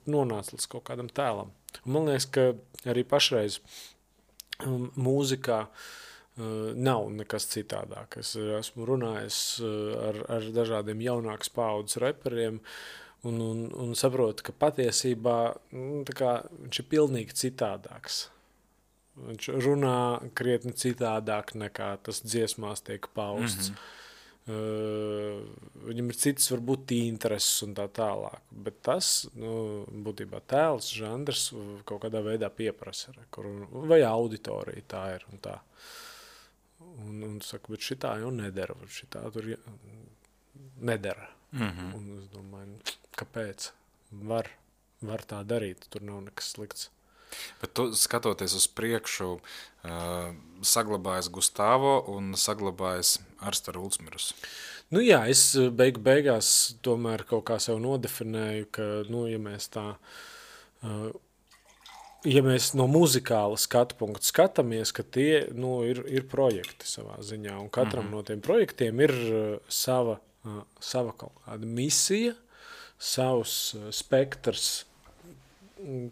nonāc līdz kaut kādam tēlam. Un man liekas, ka arī pašreiz mūzikā nav nekas citādāk. Es esmu runājis ar dažādiem jaunākas paaudzes reperiem un saprotu, ka patiesībā viņš ir pilnīgi citādāks. Viņš runā krietni citādāk nekā tas dziesmās tiek pausts. Viņam ir citas varbūt intereses un tā tālāk. Bet tas, būtībā tēls, žanrs kaut kādā veidā pieprasa. Vai auditorija tā ir un tā. Un saka, bet šitā jau nedara, šitā tur nedara. Un es domāju, kāpēc? Var tā darīt, tur nav nekas slikts. Bet tu, skatoties uz priekšu, saglabājas Gustavo un saglabājas Arstara Ulsmirus. Nu jā, es beigās tomēr kaut kā sev nodefinēju, ka, ja mēs tā... Ja mēs no muzikāla skatu punktu skatāmies, ka tie ir projekti savā ziņā, un katram no tiem projektiem ir sava kaut kāda misija, savs spektrs,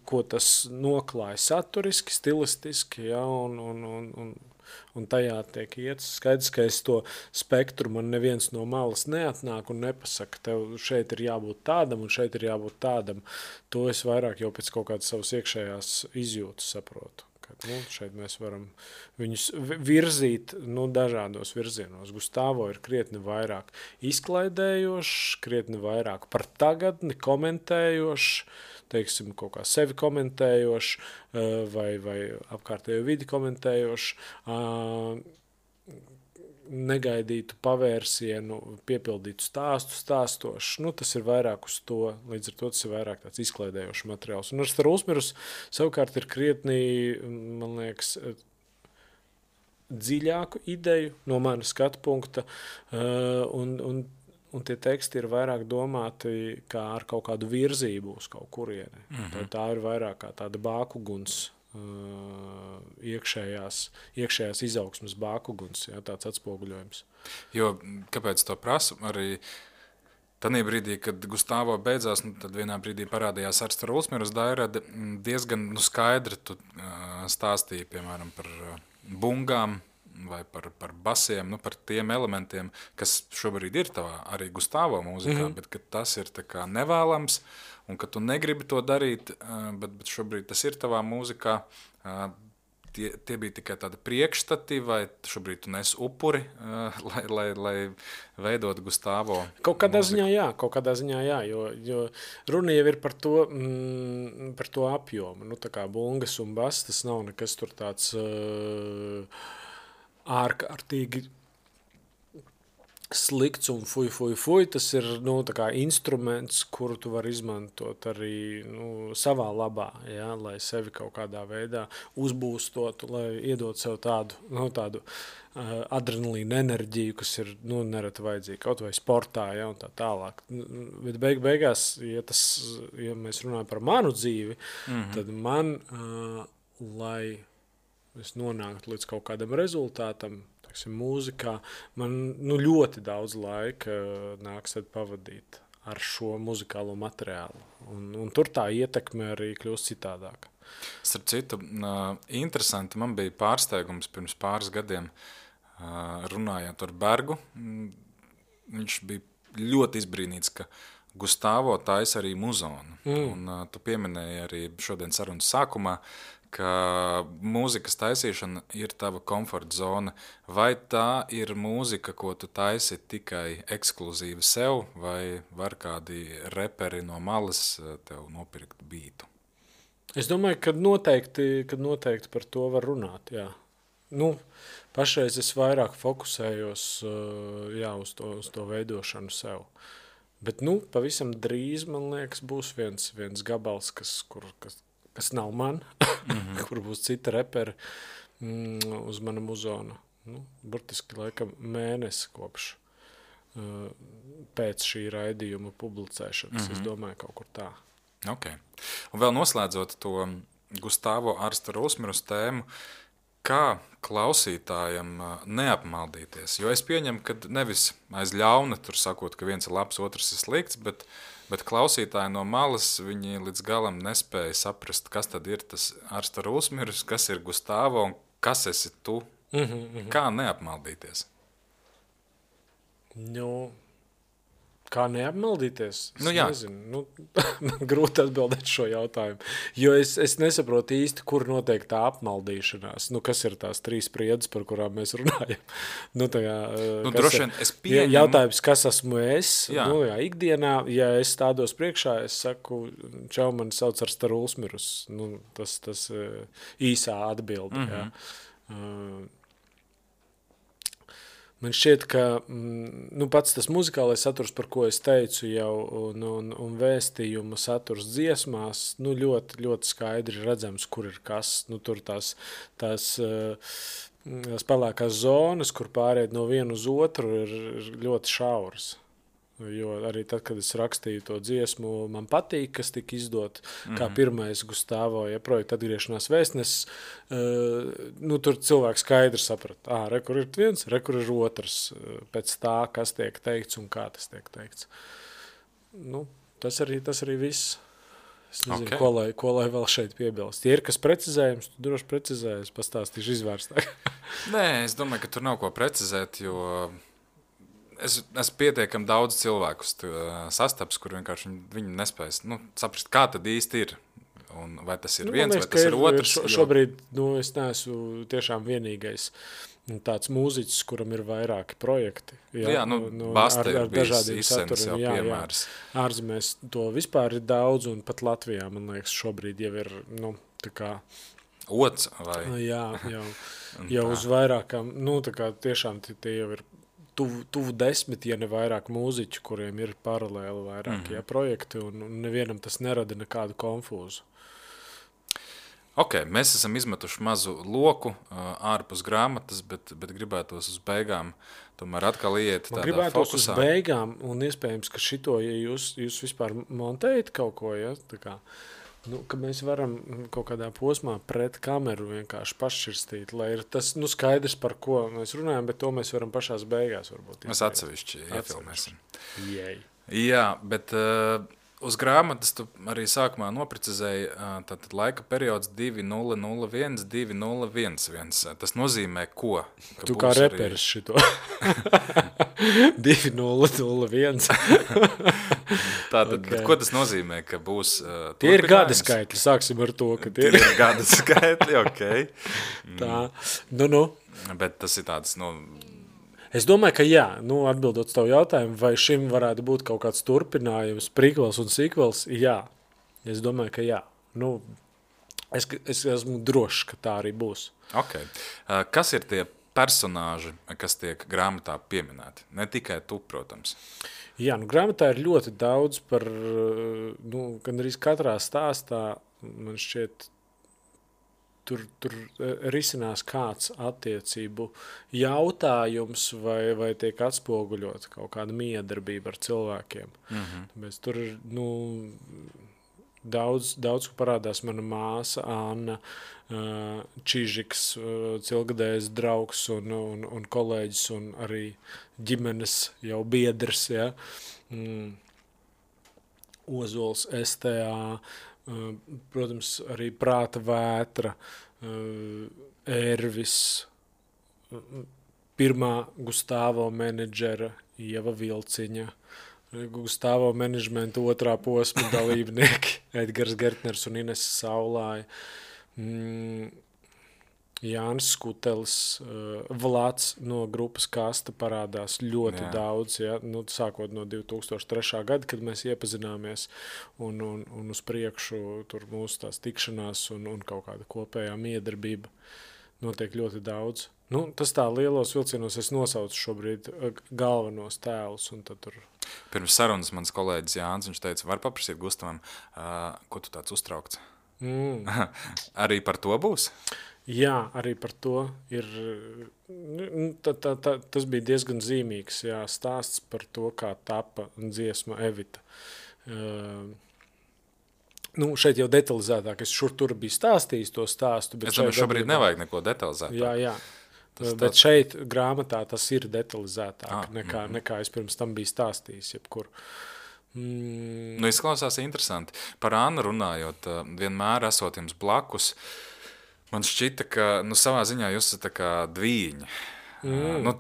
ko tas noklāja saturiski, stilistiski, ja, un tajā tiek iet. Skaidrs, ka es to spektru man neviens no malas neatnāk un nepasaka, tev šeit ir jābūt tādam un šeit ir jābūt tādam. To es vairāk jau pēc kaut kādas savas iekšējās izjūtas saprotu. Ka, šeit mēs varam viņus virzīt dažādos virzienos. Gustavo ir krietni vairāk izklaidējošs, krietni vairāk par tagadni komentējošs, teiksim, kaut kā sevi komentējoši vai apkārtējo vidi komentējoši, negaidītu pavērsienu, piepildītu stāstošu. Tas ir vairāk uz to, līdz ar to tas ir vairāk tāds izklaidējošs materiāls. Un Arstara Ulsmirus savukārt ir krietni, man liekas, dziļāku ideju no mana skatu punkta un tie teksti ir vairāk domāti kā ar kaut kādu virzību uz kaut kurieni. Tā ir vairāk kā tāda bākuguns, iekšējās izaugsmes bākuguns, jā, tāds atspoguļojums. Jo, kāpēc to prasu? Arī tanī brīdī, kad Gustavo beidzās, tad vienā brīdī parādījās Arstara Ulsmirus dairade, diezgan skaidri tu stāstīji, piemēram, par bungām, vai par basiem, par tiem elementiem, kas šobrīd ir tavā arī Gustavo mūzikā, bet ka tas ir tā kā nevēlams, un ka tu negribi to darīt, bet šobrīd tas ir tavā mūzikā. Tie bija tikai tādi priekšstati, vai šobrīd tu nes upuri, lai veidot Gustavo? Kaut kādā ziņā jā, jo runa jau ir par to apjomu. Tā kā bungas un bas, tas nav nekas tur tāds ārkārtīgi slikts un fuj. Tas ir tā kā instruments, kuru tu vari izmantot arī savā labā, ja, lai sevi kaut kādā veidā uzbūstotu, lai iedot sev tādu adrenalīnu enerģiju, kas ir nereti vajadzīga kaut vai sportā, ja, un tā tālāk. Bet beigās, ja mēs runājam par manu dzīvi, tad man, lai es nonāktu līdz kaut kādam rezultātam, mūzikā, man ļoti daudz laika nāks pavadīt ar šo muzikālo materiālu. Un tur tā ietekme arī kļūst citādāka. Starp citu, interesanti, man bija pārsteigums pirms pāris gadiem runājot ar Bergu. Viņš bija ļoti izbrīnīts, ka Gustavo taisa arī muzonu. Un tu pieminēji arī šodien sarunas sākumā, ka mūzikas taisīšana ir tava komforta zona. Vai tā ir mūzika, ko tu taisi tikai ekskluzīvi sev, vai var kādi reperi no malas tev nopirkt bītu? Es domāju, ka noteikti par to var runāt, jā. Pašreiz es vairāk fokusējos uz to veidošanu sev. Bet pavisam drīz, man liekas, būs viens gabals, kas nav man, kur būs cita reperi uz mana muzona. Nu, burtiski laikam mēnesi kopš pēc šī raidījuma publicēšanas. Es domāju, kaut kur tā. Okay. Un vēl noslēdzot to Gustavo Arstaru Usmirus tēmu, kā klausītājam neapmaldīties? Jo es pieņemu, ka nevis aiz ļauna tur sakot, ka viens ir labs, otrs ir slikts, bet klausītāji no malas viņi līdz galam nespēja saprast, kas tad ir tas Arstaru Usmirus, kas ir Gustavo un kas esi tu. Kā neapmaldīties? Nu, kā neapmaldīties? Es jā. nezinu. Grūti atbildēt šo jautājumu. Jo es nesaprotu īsti, kur notiek tā apmaldīšanās. Kas ir tās 3 spriedzes, par kurām mēs runājam? Droši vien es pieņemu. Jautājums, kas esmu es? Jā. Ikdienā, ja es stādos priekšā, es saku, čau, mani sauc Arstaru Usmirus. Tas īsā atbilde. Jā. Man šķiet, ka pats tas muzikālais saturs, par ko es teicu jau, un vēstījuma saturs dziesmās, ļoti, ļoti skaidri redzams, kur ir kas. Tur tās pelēkās zonas, kur pāriet no vienu uz otru, ir ļoti šauras. Jo arī tad, kad es rakstīju to dziesmu, man patīk, kas tika izdot kā pirmais Gustavo, projekta atgriešanās vēstnesis, tur cilvēks skaidri saprata, kur ir viens, kur ir otrs, pēc tā, kas tiek teikts un kā tas tiek teikts. Tas arī viss. Es nezinu, ko lai vēl šeit piebilst. Ja ir kas precizējums, tu droši precizējies, pastāstīšu izvērstāk. Nē, es domāju, ka tur nav ko precizēt, jo es pietiekami daudz cilvēkus sastaps, kur vienkārši viņi nespējas saprast, kā tad īsti ir. Un vai tas ir viens, vai tas ir otrs. Šobrīd es neesmu tiešām vienīgais tāds mūziķis, kuram ir vairāki projekti. Baste ir bijis dažādiem izsens jau saturiem. piemērs. Ārzemēs to vispār ir daudz, un pat Latvijā, man liekas, šobrīd jau ir, tā kā... Ots vai? Jau uz vairākām, tā kā tiešām tie jau ir tuvu 10, ja ne vairāk mūziķu, kuriem ir paralēli vairākie projekti, un nevienam tas nerada nekādu konfūzu. Mēs esam izmetuši mazu loku ārpus grāmatas, bet gribētos uz beigām tomēr atkal iet tādā gribētos fokusā. Uz beigām, un iespējams, ka šito, ja jūs vispār montējat kaut ko, tā kā, ka mēs varam kaut kādā posmā pret kameru vienkārši pašķirstīt, lai ir tas skaidrs, par ko mēs runājam, bet to mēs varam pašās beigās varbūt. Mēs atsevišķi iefilmēsim. Jā, bet uz grāmatas tu arī sākumā noprecizēji tātad laika periods 2001, 2011. Tas nozīmē ko? Tu kā reperis šito. 2001. Tātad, ko tas nozīmē, ka būs tie ir gada skaitļi, sāksim ar to, ka tie ir gada skaitļi, Tā, Bet tas ir tāds, Es domāju, ka jā, atbildot tavu jautājumu, vai šim varētu būt kaut kāds turpinājums, prequels un sequels, jā. Es domāju, ka jā. Es esmu drošs, ka tā arī būs. Kas ir tie personāži, kas tiek grāmatā pieminēti? Ne tikai tu, protams. Jā, grāmatā ir ļoti daudz par, gandrīz katrā stāstā, man šķiet, tur risinās kāds attiecību jautājums vai tiek atspoguļot kaut kāda miedarbība ar cilvēkiem. Tāpēc tur ir, daudz, ko parādās mana māsa, Anna Čižiks, cilgadējs draugs un kolēģis un arī ģimenes jau biedrs, ja? Ozols STA, protams, arī Prāta vētra, Ervis, pirmā Gustavo menedžera Ieva Vilciņa, Gustavo menedžmenta otrā posma dalībnieki Edgars Gertners un Ines Saulāja, Jānis Skutelis, Vlads no grupas Kasta parādās ļoti daudz, ja? Sākot no 2003. gada, kad mēs iepazināmies un uz priekšu tur mūsu tās tikšanās un kaut kāda kopējā miedarbība notiek ļoti daudz. Tas tā lielos vilcienos es nosaucu šobrīd galvenos tēlus un tad tur... Pirms sarunas mans kolēģis Jānis, viņš teica, var paprasīt Gustavam, ko tu tāds uztraukts? Arī par to būs? Jā, arī par to ir. Tas bija diezgan zīmīgs stāsts par to, kā tapa dziesma Evita. Šeit jau detalizētāk, es tur biju stāstījis to stāstu. Es domāju, šobrīd nevajag neko detalizēt. Jā. Bet šeit grāmatā tas ir detalizētāk nekā es pirms tam biju stāstījis jebkur. Izklausās interesanti. Par Annu runājot, vienmēr esot jums blakus, man šķita, ka savā ziņā jūs esat tā kā dvīņi.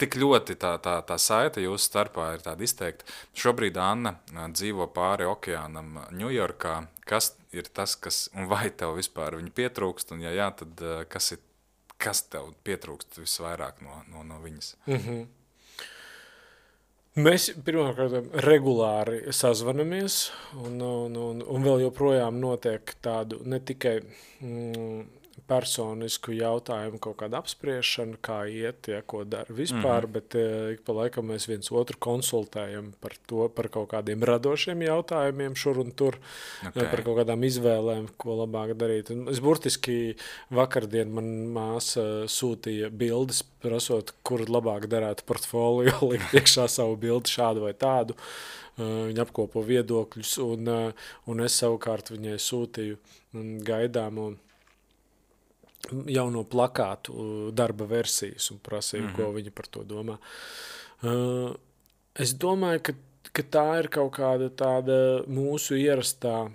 Tik ļoti tā saite jūsu starpā ir tāda izteikta. Šobrīd Anna dzīvo pāri okeānam Ņujorkā. Kas ir tas, un vai tev vispār viņa pietrūkst, un ja jā, tad kas tev pietrūkst visvairāk no viņas? Mēs pirmkārt regulāri sazvanamies, un vēl joprojām notiek tādu ne tikai personisku jautājumu kaut kāda apspriešana, kā iet, ko dara vispār, bet ik pa laikam mēs viens otru konsultējam par kaut kādiem radošiem jautājumiem šur un tur, par kaut kādām izvēlēm, ko labāk darīt. Un es burtiski vakardien man māsa sūtīja bildes, prasot, kur labāk darētu portfolio, likt iekšā savu bildi šādu vai tādu. Viņa apkopo viedokļus, un es savukārt viņai sūtīju gaidāmu jauno plakātu darba versijas un prasīju, ko viņa par to domā. Es domāju, ka tā ir kaut kāda tāda mūsu ierastā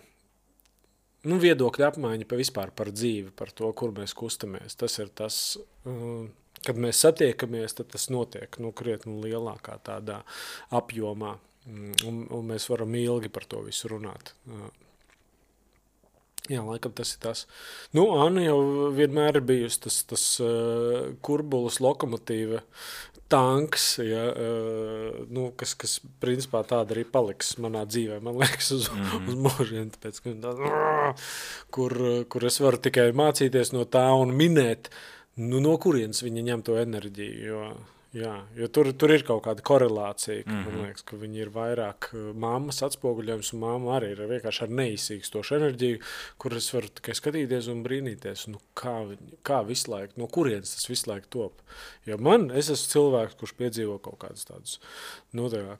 viedokļa apmaiņa vispār par dzīvi, par to, kur mēs kustamies. Tas ir tas, kad mēs satiekamies, tad tas notiek krietni lielākā tādā apjomā, un mēs varam ilgi par to visu runāt. Jā, laikam tas ir tas. Anna jau vienmēr ir bijusi tas kurbulas lokomotīva tanks, kas principā tāda arī paliks manā dzīvē, man liekas, uz mūžiem, tāpēc, kur es varu tikai mācīties no tā un minēt, no kurienes viņa ņem to enerģiju, jo tur ir kaut kāda korelācija, ka man liekas, ka viņi ir vairāk mammas atspoguļojums, un mamma arī ir vienkārši ar neizsīkstošu enerģiju, kur es varu tikai skatīties un brīnīties, kā visu laiku, no kurienes tas visu laiku top. Jo es esmu cilvēks, kurš piedzīvo kaut kādus tādus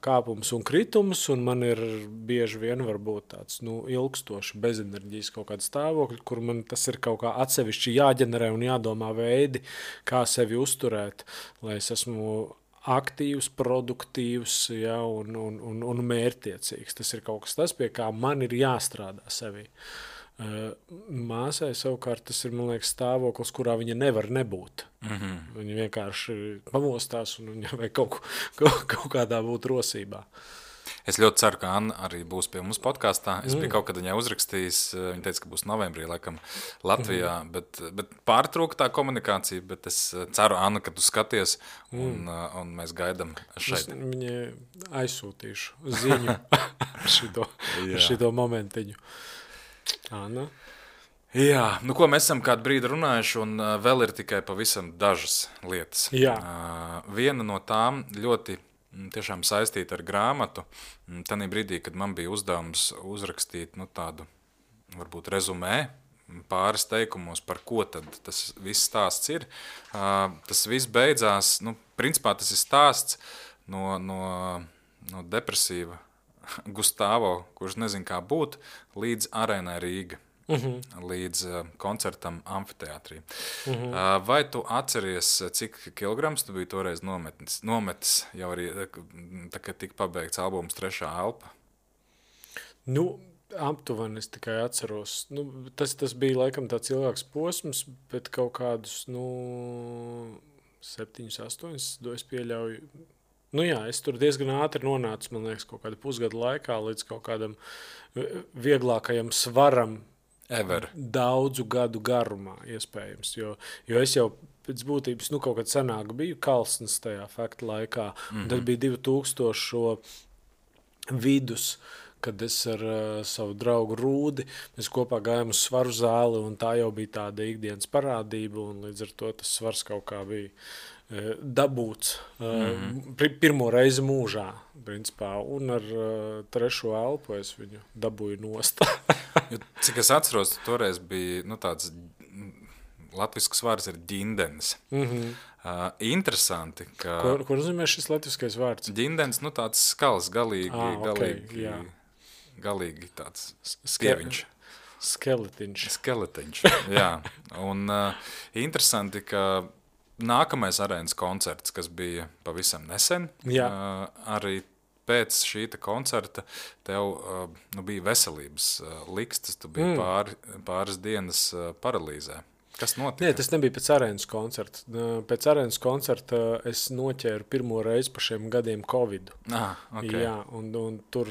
kāpumus un kritumus, un man ir bieži vien varbūt tāds ilgstoši bezenerģijas kaut kāda stāvokļa, kur man tas ir kaut kā atsevišķi jāģenerē un jādomā veidi, kā sevi uzturēt, lai es esmu aktīvs, produktīvs un mērķtiecīgs. Tas ir kaut kas tas, pie kā man ir jāstrādā sevī. Māsai savukārt tas ir, man liekas, stāvoklis, kurā viņa nevar nebūt. Viņa vienkārši pamostās un viņa vajag kaut kādā būt rosībā. Es ļoti ceru, ka Anna arī būs pie mums podkāstā. Es biju kaut kad viņai uzrakstījis, viņa teica, ka būs novembrī, laikam, Latvijā, bet pārtrūka tā komunikācija, bet es ceru, Anna, ka tu skaties, un mēs gaidam šeit. Es viņai aizsūtīšu ziņu ar šito momentiņu. Anna? Jā, ko mēs esam kādu brīdi runājuši, un vēl ir tikai pavisam dažas lietas. Jā. Viena no tām ļoti tiešām saistīta ar grāmatu. Tanī brīdī, kad man bija uzdevums uzrakstīt tādu, varbūt rezumē, pāris teikumos, par ko tad tas viss stāsts ir. Tas viss beidzās, principā tas ir stāsts no depresīva Gustavo, kurš nezin kā būt, līdz Arēnai Rīga. Līdz koncertam amfiteātrī. Vai tu atceries, cik kilograms tu biji toreiz nometis jau arī, kad tika pabeigts albums Trešā elpa? Aptuveni es tikai atceros. Tas bija laikam tāds ilgāks posms, bet kaut kādus 7, 8, es pieļauju. Es tur diezgan ātri nonācu, man liekas, kaut kādu pusgadu laikā līdz kaut kādam vieglākajam svaram, Ever. Daudzu gadu garumā, iespējams, jo es jau pēc būtības kaut kad senāk biju kalsnes tajā fakta laikā, un tad bija 2000 vidus, kad es ar savu draugu Rūdi, mēs kopā gājām uz svaru zāli, un tā jau bija tāda ikdienas parādība, un līdz ar to tas svars kaut kā bija dabūts pirmo reizi mūžā, principā, un ar trešo elpu es viņu dabūju nost. Cik es atceros, toreiz bija tāds latvisks vārds ir ģindens. Interesanti, ka... Ko nozīmē šis latviskais vārds? Ģindens, tāds skals, galīgi tāds stieviņš. Skeletiņš, jā. Un interesanti, ka nākamais arēnas koncerts, kas bija pavisam nesen, arī pēc šīta koncerta tev bija veselības likstas, tu biji pāris dienas paralīzē. Kas notika? Nē, tas nebija pēc arēnas koncerta. Pēc arēnas koncerta es noķēru pirmo reizi pa šiem gadiem Covidu. Okay. Jā, un tur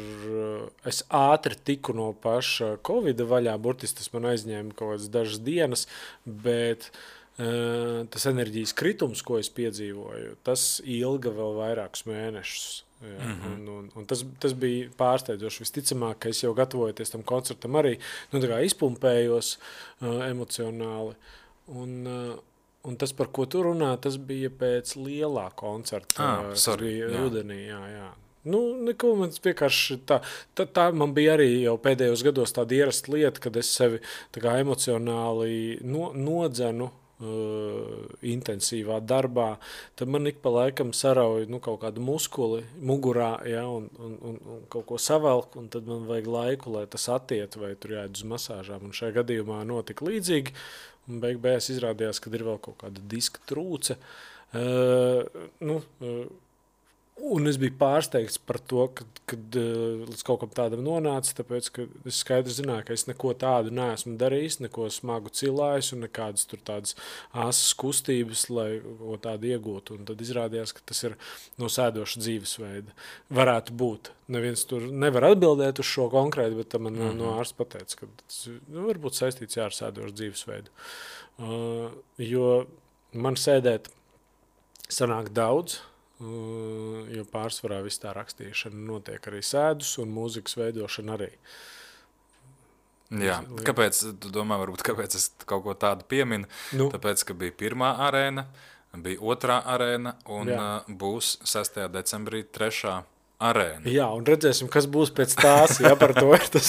es ātri tiku no paša Covida vaļā, burtiski tas man aizņēma kaut kādas dažas dienas, bet tas enerģijas kritums, ko es piedzīvoju, tas ilga vēl vairākus mēnešus. Jā, un tas bija pārsteidzoši. Visticamāk, ka es jau gatavojoties tam koncertam arī izpumpējos emocionāli. Un tas, par ko tu runā, tas bija pēc lielā koncerta. Tas bija rudenī, jā. Neko, man vienkārši tā man bija arī jau pēdējos gados tāda ierasta lieta, kad es sevi tā kā emocionāli nodzenu intensīvā darbā, tad man ik pa laikam sarauj kaut kādu muskuli mugurā, ja, un kaut ko savelk, un tad man vajag laiku, lai tas attiet, vai tur jāiet uz masāžām. Un šajā gadījumā notika līdzīgi, un beigās izrādījās, ka ir vēl kaut kāda diska trūce. Un es biju pārsteigts par to, kad līdz kaut kam tādam nonāca, tāpēc, ka es skaidri zināju, ka es neko tādu neesmu darījis, neko smagu cilājis un nekādas tur tādas asas kustības, lai ko tādu iegūtu. Un tad izrādījās, ka tas ir no sēdoša dzīvesveida. Varētu būt. Neviens tur nevar atbildēt uz šo konkrēti, bet man no ārsta pateica, ka tas varbūt saistīts ar sēdošu dzīvesveidu. Jo man sēdēt sanāk daudz, jo pārsvarā viss tā rakstīšana notiek arī sēdus un mūzikas veidošana arī. Jā, kāpēc, tu domā, varbūt kāpēc es kaut ko tādu pieminu? Tāpēc, ka bija pirmā arēna, bija otrā arēna un būs 6. decembrī 3. arēna. Jā, un redzēsim, kas būs pēc tās, ja par to ir tas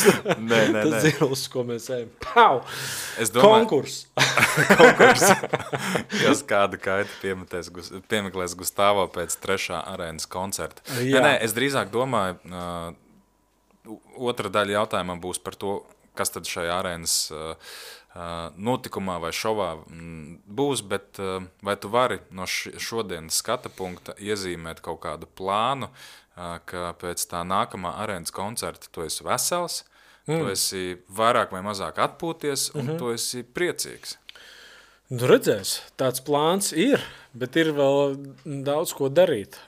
zirlis, ko mēs ejam. Pau! Konkurs! Kas kāda kaita piemeklēs Gustavo pēc 3. arēnas koncerta. Nē, es drīzāk domāju, otra daļa jautājumam būs par to, kas tad šajā arēnas notikumā vai šovā būs, bet vai tu vari no šodienas skata punkta iezīmēt kaut kādu plānu, ka pēc tā nākamā arēnas koncerta tu esi vesels, tu esi vairāk vai mazāk atpūties un tu esi priecīgs? Redzēs, tāds plāns ir, bet ir vēl daudz ko darīt.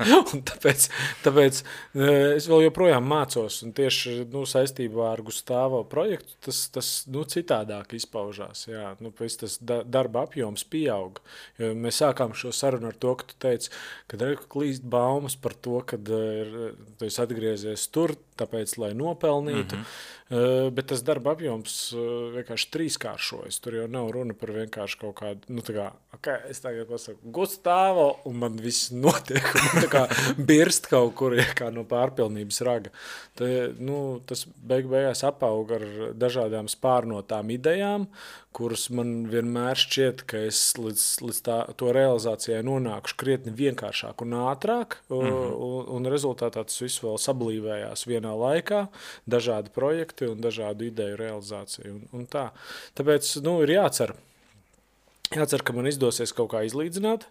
Un tāpēc es vēl joprojām mācos, un tieši saistībā ar Gustavo projektu tas citādāk izpaužās. Jā. Tas darba apjoms pieauga. Jo mēs sākām šo sarunu ar to, ka tu teici, ka klīst baumas par to, ka tu esi atgriezies tur, tāpēc, lai nopelnītu. Bet tas darba apjoms vienkārši trīskāršojas. Tur jau nav runa par vienkārši kaut kādu, es tagad pasaku Gustavo, un man viss notiek, un man tā kā birst kaut kur kā no pārpilnības raga. Tas beigās apauga ar dažādām spārnotām idejām, kuras man vienmēr šķiet, ka es līdz to realizācijai nonākuši krietni vienkāršāk un ātrāk, un rezultātā tas viss vēl sablīvējās vienā laikā, dažādi projekti un dažādu ideju realizāciju. Un tā. Tāpēc ir jācer, ka man izdosies kaut kā izlīdzināt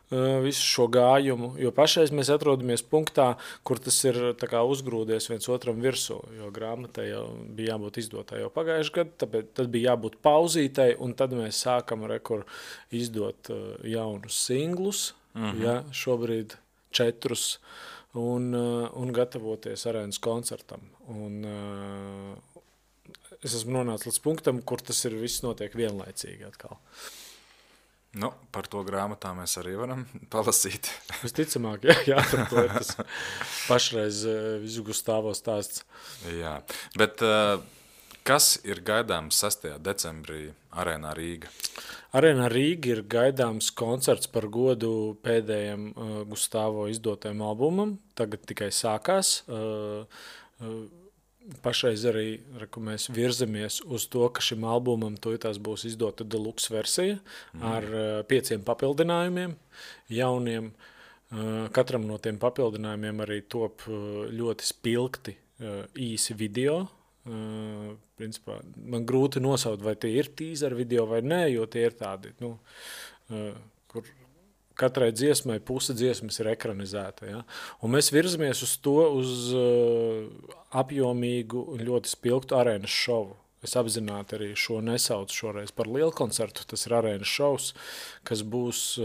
visu šo gājumu, jo pašreiz mēs atrodamies punktā, kur tas ir tā kā uzgrūdies viens otram virsū, jo grāmatai jau bija jābūt izdotai jau pagājuši gadu, tāpēc tad bija jābūt pauzītai, un tad mēs sākam izdot jaunus singlus, šobrīd 4, un gatavoties arēnas koncertam. Un es esmu nonācis līdz punktam, kur tas ir viss notiek vienlaicīgi atkal. Par to grāmatā mēs arī varam palasīt. Visticamāk, jā, to ir tas pašreiz visu Gustavo stāsts. Jā, bet Kas ir gaidāms 6. decembrī Arēnā Rīga? Arēnā Rīga ir gaidāms koncerts par godu pēdējiem Gustavo izdotajam albumam. Tagad tikai sākās. Pašreiz arī mēs virzamies uz to, ka šim albumam tūlītās būs izdota deluxe versija ar 5 papildinājumiem, jauniem. Katram no tiem papildinājumiem arī top ļoti spilgti īsi video. Principā, man grūti nosaukt, vai tie ir teaser video vai nē, jo tie ir tādi, kur katrai dziesmai puse dziesmas ir ekranizēta. Ja? Un mēs virzamies uz to, uz apjomīgu un ļoti spilgtu arēnas šovu. Es apzināti arī šo nesaucu šoreiz par lielu koncertu. Tas ir arēnas šovs, kas būs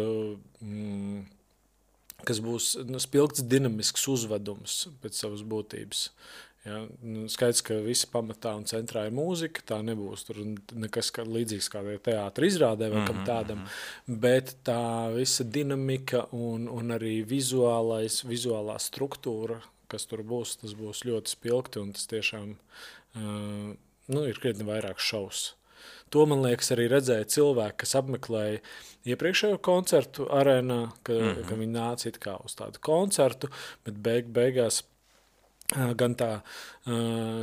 spilgts dinamisks uzvedums pēc savas būtības. Ja, skaidrs, ka visi pamatā un centrā ir mūzika, tā nebūs tur nekas līdzīgs kādai teātra izrādē vai kam tādam, bet tā visa dinamika un arī vizuālā struktūra, kas tur būs, tas būs ļoti spilgti un tas tiešām ir krietni vairāk šovs. To, man liekas, arī redzēja cilvēki, kas apmeklēja iepriekšējo koncertu arēnā, ka viņi nāca it kā uz tādu koncertu, bet beigās gan tā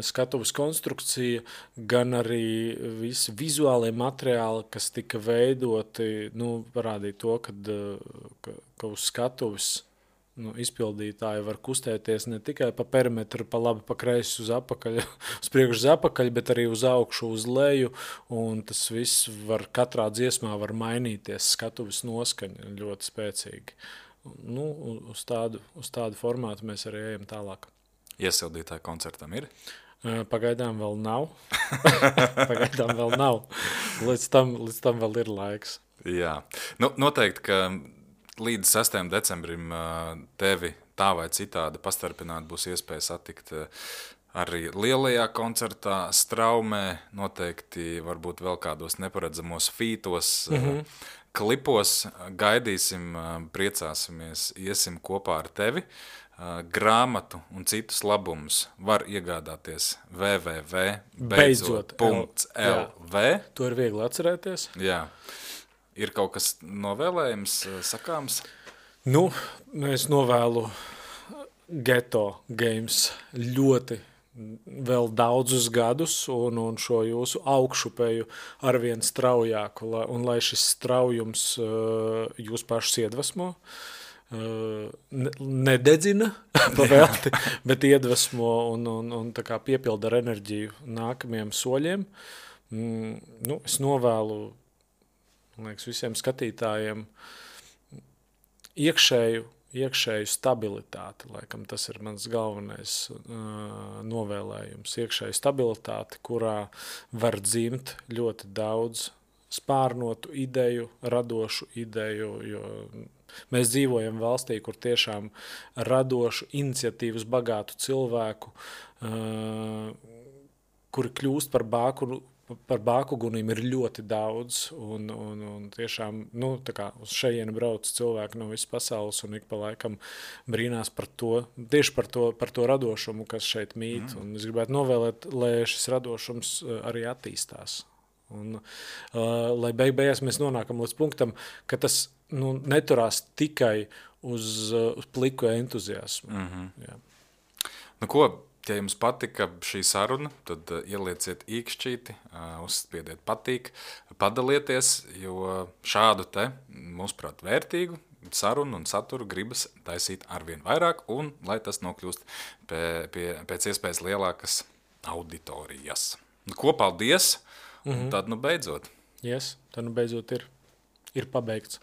skatuves konstrukcija, gan arī visi vizuālie materiāli, kas tika veidoti, parādīja to, ka uz skatuves izpildītāji var kustēties ne tikai pa perimetru, pa labi, pa kreisi uz apakaļ, uz priekšu uz apakaļ, bet arī uz augšu, uz leju, un tas viss var katrā dziesmā var mainīties, skatuves noskaņa ļoti spēcīgi. Uz tādu formātu mēs arī ejam tālāk. Iesildītāji koncertam ir? Pagaidām vēl nav. Līdz tam vēl ir laiks. Jā. Noteikti, ka līdz 6. decembrim tevi tā vai citādi pastarpināt būs iespēja satikt arī lielajā koncertā Straumē, noteikti varbūt vēl kādos neparedzamos fītos, klipos. Gaidīsim, priecāsimies, iesim kopā ar tevi. Grāmatu un citus labumus var iegādāties www.beidzot.lv. To ir viegli atcerēties. Jā. Ir kaut kas novēlējums sakāms? Es novēlu Ghetto Games ļoti vēl daudzus gadus un šo jūsu augšupeju arvien straujāku, un lai šis straujums jūs pašus iedvesmo. Nededzina pavēlti, bet iedvesmo un tā kā piepilda ar enerģiju nākamajiem soļiem. Es novēlu, man liekas, visiem skatītājiem iekšēju stabilitāti, laikam tas ir mans galvenais novēlējums. Iekšēju stabilitāti, kurā var dzimt ļoti daudz spārnotu ideju, radošu ideju, jo mēs dzīvojam valstī, kur tiešām radošu, iniciatīvas bagātu cilvēku, kuri kļūst par bākuguniem, ir ļoti daudz, un tiešām, tā kā uz šejieni brauc cilvēki no visas pasaules, un ik pa laikam brīnās par to, tieši par to radošumu, kas šeit mīt, un es gribētu novēlēt, lai šis radošums arī attīstās. Un, lai beigās mēs nonākam līdz punktam, ka tas neturās tikai uz pliku entuziasmu. Jā. Ja jums patika šī saruna, tad ielieciet īkšķīti, uzspiediet patīk, padalieties, jo šādu te, mūsuprāt, vērtīgu sarunu un saturu gribas taisīt arvien vairāk, un lai tas nokļūst pēc iespējas lielākas auditorijas. Paldies! Un tad beidzot. Tad beidzot ir pabeigts.